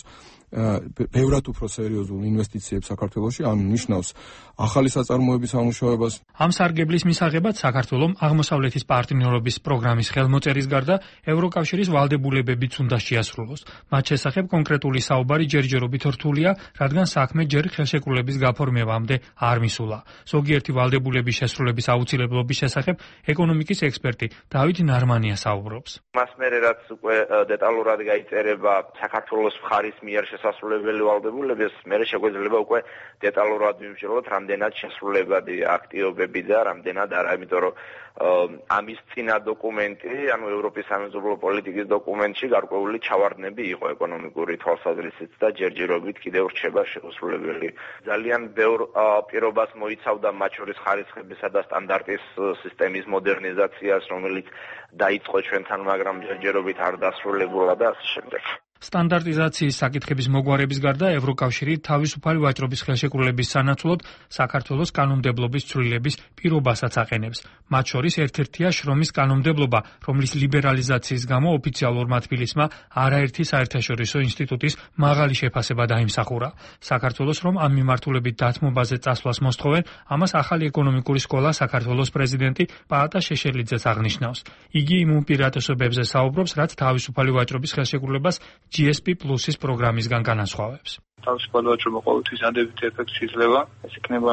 ბევრად უფრო სერიოზულ ინვესტიციებს საქართველოში, ანუ ნიშნავს ახალი საწარმოების ამუშავებას. ამ სარგებლის მისაღებად საქართველომ აღმოსავლეთის პარტნიორობის პროგრამის ხელმოწერის გარდა ევროკავშირის ვალდებულებებიც უნდა შეასრულოს. მათ შესახებ კონკრეტული საუბარი ჯერჯერობით რთულია, რადგან საქმე ჯერ ხელშეკრულების გაფორმებამდე არ მისულა. ზოგიერთი ვალდებულების შესრულების აუცილებლობის შესახებ ეკონომიკის ექსპერტი დავით ნარმანია საუბრობს. მას მერე რაც უკვე დეტალურად გაიწერება საქართველოს მხარის მიერ შესასრულებელი ვალდებულების, მერე შეგვეძლება უკვე დეტალურად ვიმსჯელოთ, რამდენად შესრულებადი აქტივობები და რამდენად არა, იმიტომ რომ ამის წინა დოკუმენტი, ანუ ევროპის სამეზობლო პოლიტიკის დოკუმენტში გარკვეული ჩავარდნები იყო ეკონომიკური თვალსაზრისით და ჯერჯერობით კიდევ რჩება შესრულებელი. ძალიან ბევრ პირობას მოიცავდა მათ შორის ხარისხებისა და სტანდარტის სისტემის მოდერნიზაციას, რომელიც დაიწყო ჩვენთან, მაგრამ ჯერჯერობით არ დასრულებულა და ასე შემდეგ. სტანდარტიზაციის საკითხების მოგვარების გარდა ევროკავშირი თავისუფალი ვაჭრობის ხელშეკრულების სანაცვლოდ საქართველოს კანონმდებლობის ცვლილების პირობასაც აყენებს. მათ შორის ერთ-ერთია შრომის კანონმდებლობა, რომლის ლიბერალიზაციის გამო ოფიციალურმა თბილისმა არაერთი საერთაშორისო ინსტიტუტის მაღალი შეფასება დაიმსახურა. საქართველოს რომ ამ მიმართულებით დათმობაზე წასვლას მოსთხოვენ, ამას ახალი ეკონომიკური სკოლა საქართველოს პრეზიდენტი პაატა შეშელიძეც აღნიშნავს. იგი იმ უპირატესობებზე საუბრობს, რაც თავისუფალი ვაჭრობის ხელშეკრულებას GSP+-ის პროგრამისგან განასხვავებს. თავისუფალი ვაჭრობა ყოველთვის დადებითი ეფექტი იძლევა. ეს იქნება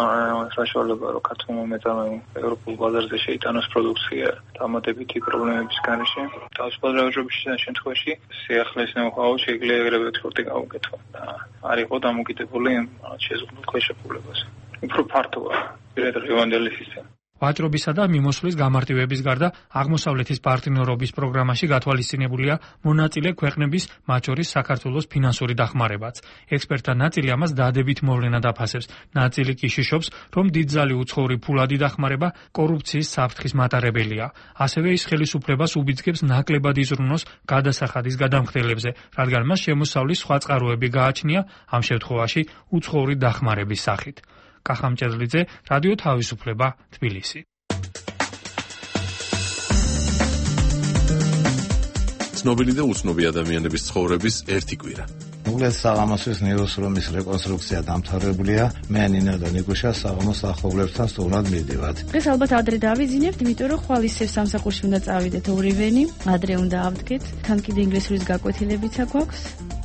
საშუალება, რომ ქართულმა მეწარმეებმა ევროპულ ბაზარზე შეიტანოს პროდუქცია დამატებითი პრობლემების გარეშე. თავისუფალი ვაჭრობის შემთხვევაში სიახლეს ნოუ-ჰაუ შეიძლება ეგრევე ექსპორტი გაუკეთო და არ იყო დამოკიდებული შეზღუდულ ხელშეკრულებაზე. უფრო ფართოა პირადად სისტემა. ვაჭრობისა და მიმოსვლის გამარტივების გარდა აღმოსავლეთის პარტნიორობის პროგრამაში გათვალისწინებულია მონაწილე ქვეყნების, მათ შორის საქართველოს ფინანსური დახმარებაც. ექსპერტთა ნაწილი ამას დადებით მოვლენად აფასებს. ნაწილი კი შიშობს, რომ დიდძალი უცხოური ფულადი დახმარება კორუფციის საფრთხის მატარებელია. ასევე ის ხელისუფლებას უბიძგებს ნაკლებად იზრუნოს გადასახადის გადამხდელებზე, რადგან მას შემოსავლის სხვა წყაროები გააჩნია, ამ შემთხვევაში უცხოური დახმარების სახით. კახამჭედლიძე, რადიო თავისუფლება, თბილისი. ცნობილი და უცნობი ადამიანების ცხოვრების ერთი კვირა. უგლეს საღამოსის ნეიროსრომის რეკონსტრუქცია დამთავრებულია. მე ნინა და ნიკუშა საღამოს ახობლებთან სტუმრად მივდივართ. დღეს ალბათ ადრე დავიძინებთ, იმიტომ რომ ხვალ ისევ სამსახურში უნდა წავიდეთ ორივენი, ადრე უნდა ავდგეთ. თან კიდე ინგლისურის გაკვეთილებიც აქვს.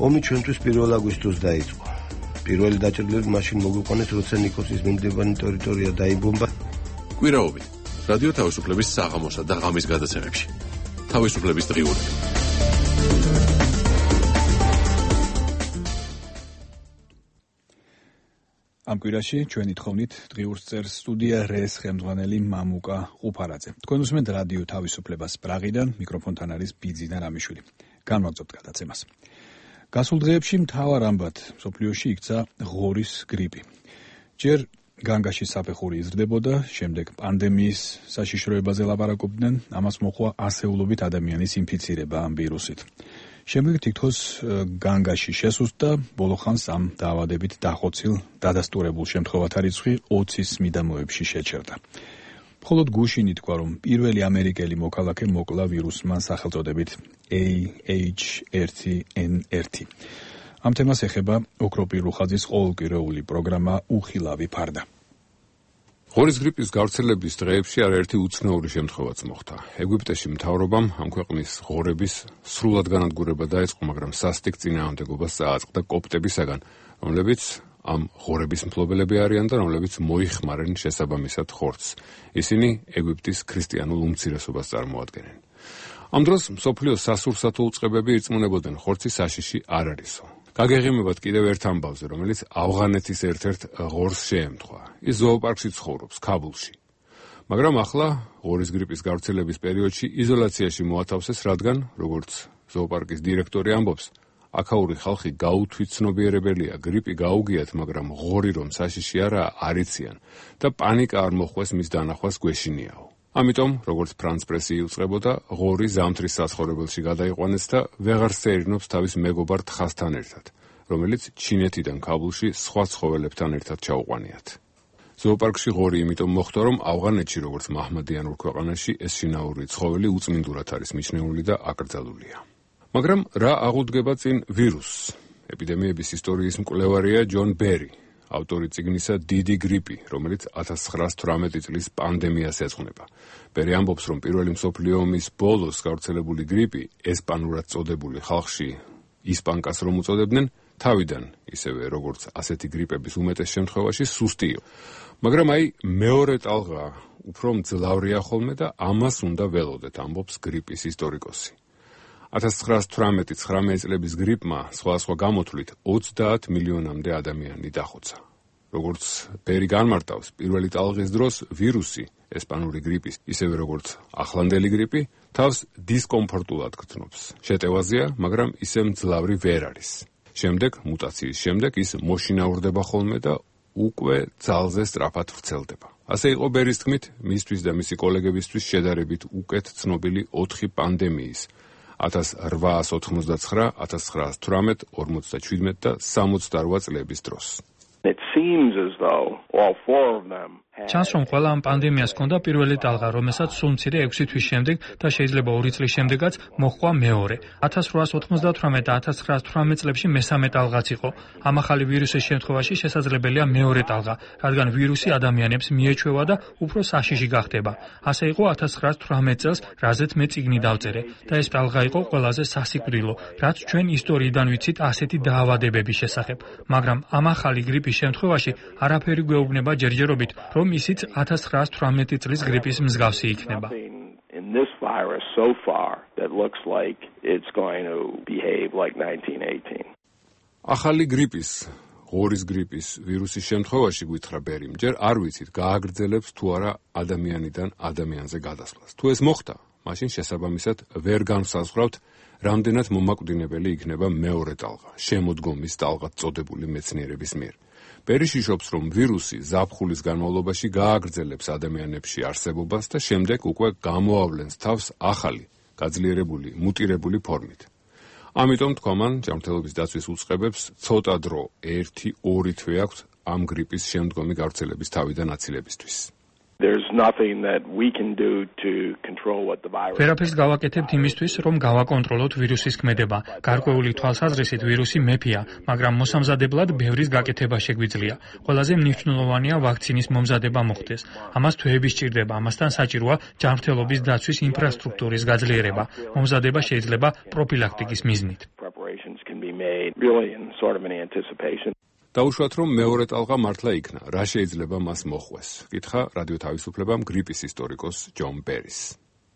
ომი ჩვენთვის 1 აგვისტოს დაიწყო. პირველი დაჭრილები მაშინ მოგვიყვანეს, როცა ნიკოსის მიმდებარე ტერიტორია დაიბომბა. კვირაობით რადიო თავისუფლების საღამოსა და ღამის გადაცემებში. თავისუფლების დღიურები. ამ კვირაში ჩვენი თხოვნით დღიურს წერს სტუდია რეს ხელმძღვანელი მამუკა ყუფარაძე. თქვენ უსმენთ რადიო თავისუფლებას პრაღიდან, მიკროფონთან არის ბიძინა რამიშვილი. განვაგრძობთ გადაცემას. გასულ დღეებში მთავარ ამბად მსოფლიოში იქცა ღორის გრიპი. ჯერ განგაში საფეხური იზრდებოდა, შემდეგ პანდემიის საშიშროებაზე ლაპარაკობდნენ, ამას მოჰყვა ასეულობით ადამიანის ინფიცირება ამ ვირუსით. შემდეგ თითქოს განგაში შესუსტდა, ბოლო ხანს ამ დაავადებით დახოცილ დადასტურებულ შემთხვევათა რიცხვი 20-ის მიდამოებში შეჩერდა. მხოლოდ გუშინი თქვა, რომ პირველი ამერიკელი მოქალაქე მოკლა ვირუსმა სახელწოდებით AH1N1. ამ თემას ეხება ოქროპირ რუხაძის ყოველკვირეული პროგრამა უხილავი ფარდა. ღორის გრიპის გავრცელების დღეებში არაერთი უცნაური შემთხვევაც მოხდა. ეგვიპტეში მთავრობამ ამ ქვეყნის ღორების სრულად განადგურება დაიწყო, მაგრამ სასტიკ წინააღმდეგობას წააწყდა კოპტებისაგან, რომლებიც ამ ღორების მფლობელები არიან და რომლებიც მოიხმარენ შესაბამისად ხორცს. ისინი ეგვიპტის ქრისტიანულ უმცირესობას წარმოადგენენ. ამ დროს მსოფლიოს სასურსათო უწყებები ირწმუნებოდნენ, ხორცის საშიში არ არისო. გაგეღიმებათ კიდევ ერთ ამბავზე, რომელიც ავღანეთის ერთ-ერთ ღორს შეემთხვა. ის ზოოპარკში ცხოვრობს, ქაბულში. მაგრამ ახლა ღორის გრიპის გავრცელების პერიოდში იზოლაციაში მოათავსეს, რადგან, როგორც ზოოპარკის დირექტორი ამბობს, აქაური ხალხი გაუთვითცნობიერებელია, გრიპი გაუგიათ, მაგრამ ღორი რომ საშიში არაა, არ იციან და პანიკა არ მოხვეს მის დანახვას გვეშინიაო. ამიტომ, როგორც ფრანც პრესი იუწყებოდა, ღორი ზამთრის საცხოვრებელში გადაიყვანეს და ვეღარ სეირნობს თავის მეგობარ თხასთან ერთად, რომელიც ჩინეთიდან ქაბულში სხვა ცხოველებთან ერთად ჩაუყვანიათ. ზოოპარკში ღორი იმიტომ მოხდა, რომ ავღანეთში, როგორც მაჰმადიანურ ქვეყანაში, ეს შინაური ცხოველი უწმინდურად არის მიჩნეული და აკრძალულია. მაგრამ რა აღუდგება წინ ვირუსს? ეპიდემიების ისტორიის მკვლევარია ჯონ ბერი, ავტორი წიგნისა დიდი გრიპი, რომელიც 1918 წლის პანდემიას ეძღვნება. ბერი ამბობს, რომ პირველი მსოფლიო ომის ბოლოს გავრცელებული გრიპი, ესპანურად წოდებული ხალხში ისპანკას რომ უწოდებდნენ, თავიდან ისევე როგორც ასეთი გრიპების უმეტეს შემთხვევაში სუსტი იყო. მაგრამ მეორე ტალღა უფრო მძლავრია ხოლმე და ამას უნდა ველოდეთ, ამბობს გრიპის ისტორიკოსი. 1918-19 წლების გრიპმა სხვადასხვა გამოთვლით 30 მილიონამდე ადამიანი დახოცა. როგორც ბერი განმარტავს, პირველი ტალღის დროს ვირუსი, ესპანური გრიპის, ისევე როგორც ახლანდელი გრიპი, თავს დისკომფორტულად გრძნობს. შეტევაზეა, მაგრამ ისე მძლავრი ვერ არის. შემდეგ, მუტაციის შემდეგ ის მოშინაურდება ხოლმე და უკვე ძალზე სწრაფად ვრცელდება. ასე იყო ბერის თქმით, მისთვის და მისი კოლეგებისთვის შედარებით უკეთ ცნობილი 4 პანდემიის 1899, 1918, 47 და 68 წლების დროს. It seems as though all 4 of them ჩანს, რომ ყველა ამ პანდემიას ჰქონდა პირველი ტალღა, რომელსაც სულ მცირე 6 თვის შემდეგ და შეიძლება 2 წლის შემდეგაც მოჰყვა მეორე. 1898 და 1918 წლებში მესამე ტალღაც იყო. ამ ახალი ვირუსის შემთხვევაში შესაძლებელია მეორე ტალღა, რადგან ვირუსი ადამიანებს მიეჩვევა და უფრო საშიში გახდება. ასე იყო 1918 წელს, რაზეც მე წიგნი დავწერე და ეს ტალღა იყო ყველაზე სასიკვდილო, რაც ჩვენ ისტორიიდან ვიცით ასეთი დაავადებების შესახებ. მაგრამ ამ ახალი გრიპის შემთხვევაში არაფერი გვეუბნება ჯერჯერობით, რომ ისიც 1918 წლის გრიპის მსგავსი იქნება. in this virus so far that looks like it's going to behave like 1918. ახალი გრიპის, ღორის გრიპის ვირუსის შემთხვევაში გითხრა ბერიმ, ჯერ არ ვიცით გააგრძელებს თუ არა ადამიანიდან ადამიანზე გადასვლას. თუ ეს მოხდა, მაშინ შესაბამისად ვერ განსაზღვრავთ, რამდენად მომაკვდინებელი იქნება მეორე ტალღა, შემოდგომის ტალღად წოდებული მეცნიერების მიერ. ბერი შიშობს, რომ ვირუსი ზაფხულის განმავლობაში გააგრძელებს ადამიანებში არსებობას და შემდეგ უკვე გამოავლენს თავს ახალი, გაძლიერებული, მუტირებული ფორმით. ამიტომ თქვა მან, ჯანმრთელობის დაცვის უწყებებს ცოტა დრო, 1-2 თვე აქვთ ამ გრიპის შემდგომი გავრცელების თავიდან აცილებისთვის. There's nothing that we can do to control what the virus. ვერაფერს გავაკეთებთ იმისთვის, რომ გავაკონტროლოთ ვირუსის ქმედება. გარკვეული თვალსაზრისით ვირუსი მეფეა, მაგრამ მოსამზადებლად ბევრის გაკეთება შეგვიძლია. ყველაზე მნიშვნელოვანია ვაქცინის მომზადება მოხდეს. ამას თვეები სჭირდება, ამასთან საჭიროა ჯანმრთელობის დაცვის ინფრასტრუქტურის გაძლიერება. მომზადება შეიძლება პროფილაქტიკის მიზნით. Preparations can be made really in sort of an anticipation. დაუშვათ, რომ მეორე ტალღა მართლა იქნა, რა შეიძლება მას მოხვეს? კითხა რადიო თავისუფლებამ გრიპის ისტორიკოს ჯონ ბერის.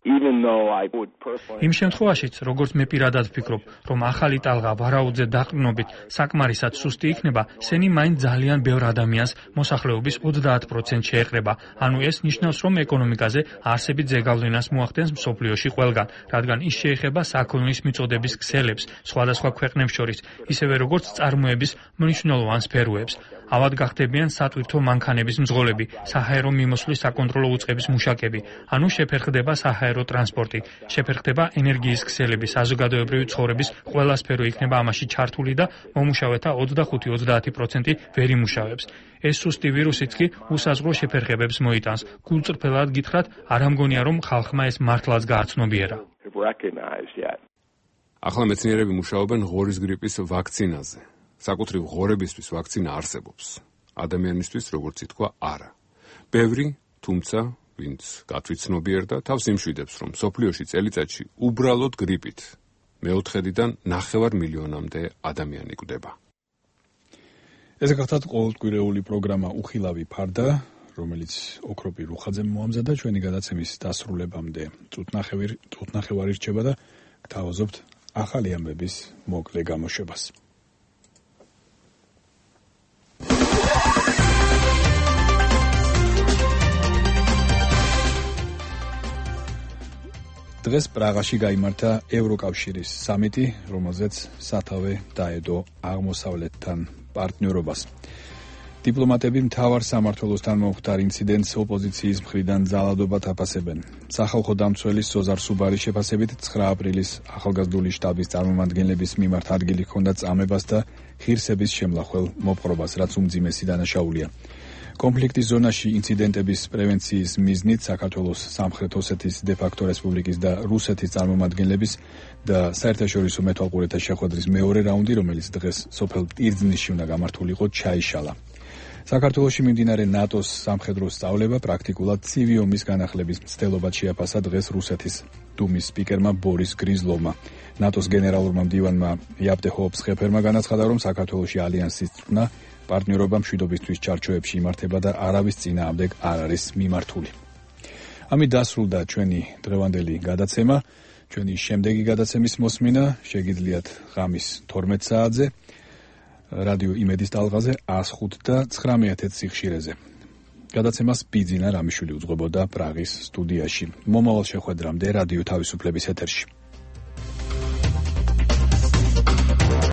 იმ შემთხვევაშიც, როგორც მე პირადად ვფიქრობ, რომ ახალი ტალღა ვარაუდზე დაყრდნობით საკმარისად სუსტი იქნება, სენი მაინც ძალიან ბევრ ადამიანს მოსახლეობის 30% შეეყრება. ანუ ეს ნიშნავს, რომ ეკონომიკაზე არსებით ზეგავლენას მოახდენს მსოფლიოში ყველგან, რადგან ის შეეხება საქონლის მიწოდების ქსელებს სხვადასხვა ქვეყნებს შორის, ისევე როგორც წარმოების მნიშვნელოვან სფეროებს. ავად გახდებიან სატვირთო მანქანების მძღოლები, საჰაერო მიმოსვლის საკონტროლო უწყების მუშაკები, ანუ შეფერხდება საჰაერო ტრანსპორტი, შეფერხდება ენერგიის ქსელები, საზოგადოებრივი ცხოვრების ყველა სფერო იქნება ამაში ჩართული და მომუშავეთა 25-30% ვერ იმუშავებს. ეს სუსტი ვირუსიც კი უსაზღვრო შეფერხებებს მოიტანს. გულწრფელად გითხრათ, არ ამგონია, რომ ხალხმა ეს მართლაც გააცნობიერა. ახლა მეცნიერები მუშაობენ ღორის გრიპის ვაქცინაზე. საკუთრივ ღორებისთვის ვაქცინა არსებობს. ადამიანისთვის, როგორც ითქვა, არა. ბევრი, თუმცა ვინც გათვითცნობიერდა და თავს იმშვიდებს, რომ მსოფლიოში წელიწადში უბრალოდ გრიპით მე-4-დან 9 მილიონამდე ადამიანი კვდება. ეს გახლავთ ყოველკვირეული პროგრამა უხილავი ფარდა, რომელიც ოქროპი რუხაძემ მოამზადა ჩვენი გადაცემის დასრულებამდე. წუთნახევარი რჩება და გთავაზობთ ახალი ამბების მოკლე გამოშვებას. დღეს პრაღაში გაიმართა ევროკავშირის სამიტი, რომელზეც სათავე დაედო აღმოსავლეთთან პარტნიორობას. დიპლომატები მთავარ სამმართველოსთან მომხდარ ინციდენტს ოპოზიციის მხრიდან ძალადობად აფასებენ. სახალხო დამცველის სოზარ სუბარის შეფასებით 9 აპრილის ახალგაზრდული შტაბის წარმომადგენლების მიმართ ადგილი ჰქონდა წამებას და ღირსების შემლახველ მოპყრობას, რაც უმძიმესი დანაშაულია. კონფლიქტის ზონაში ინციდენტების პრევენციის მიზნით საქართველოს სამხრეთ ოსეთის დე-ფაქტო რესპუბლიკის და რუსეთის წარმომადგენლების და საერთაშორისო მეთვალყურეთა შეხვედრის მეორე რაუნდი, რომელიც დღეს სოფელ ტირძნისში უნდა გამართულიყო, ჩაიშალა. საქართველოში მიმდინარე ნატოს სამხედრო სწავლება პრაქტიკულად ცივი ომის განახლების მცდელობად შეაფასა დღეს რუსეთის დუმის სპიკერმა ბორის გრიზლოვმა. ნატოს გენერალურმა მდივანმა იაპტე ჰოფსხეფერმა განაცხადა, რომ საქართველოში ალიანსის წვრთნა პარტნიორობა მშვიდობისთვის ჩარჩოებში იმართება და არავის წინააღმდეგ არ არის მიმართული. ამით დასრულდა ჩვენი დღევანდელი გადაცემა. ჩვენი შემდეგი გადაცემის მოსმენა შეგიძლიათ ღამის 12 საათზე რადიო იმედის ტალღაზე 105 და 19 სიხშირეზე. გადაცემას ბიძინა რამიშვილი უძღვებოდა პრაღის სტუდიაში. მომავალ შეხვედრამდე რადიო თავისუფლების ეთერში.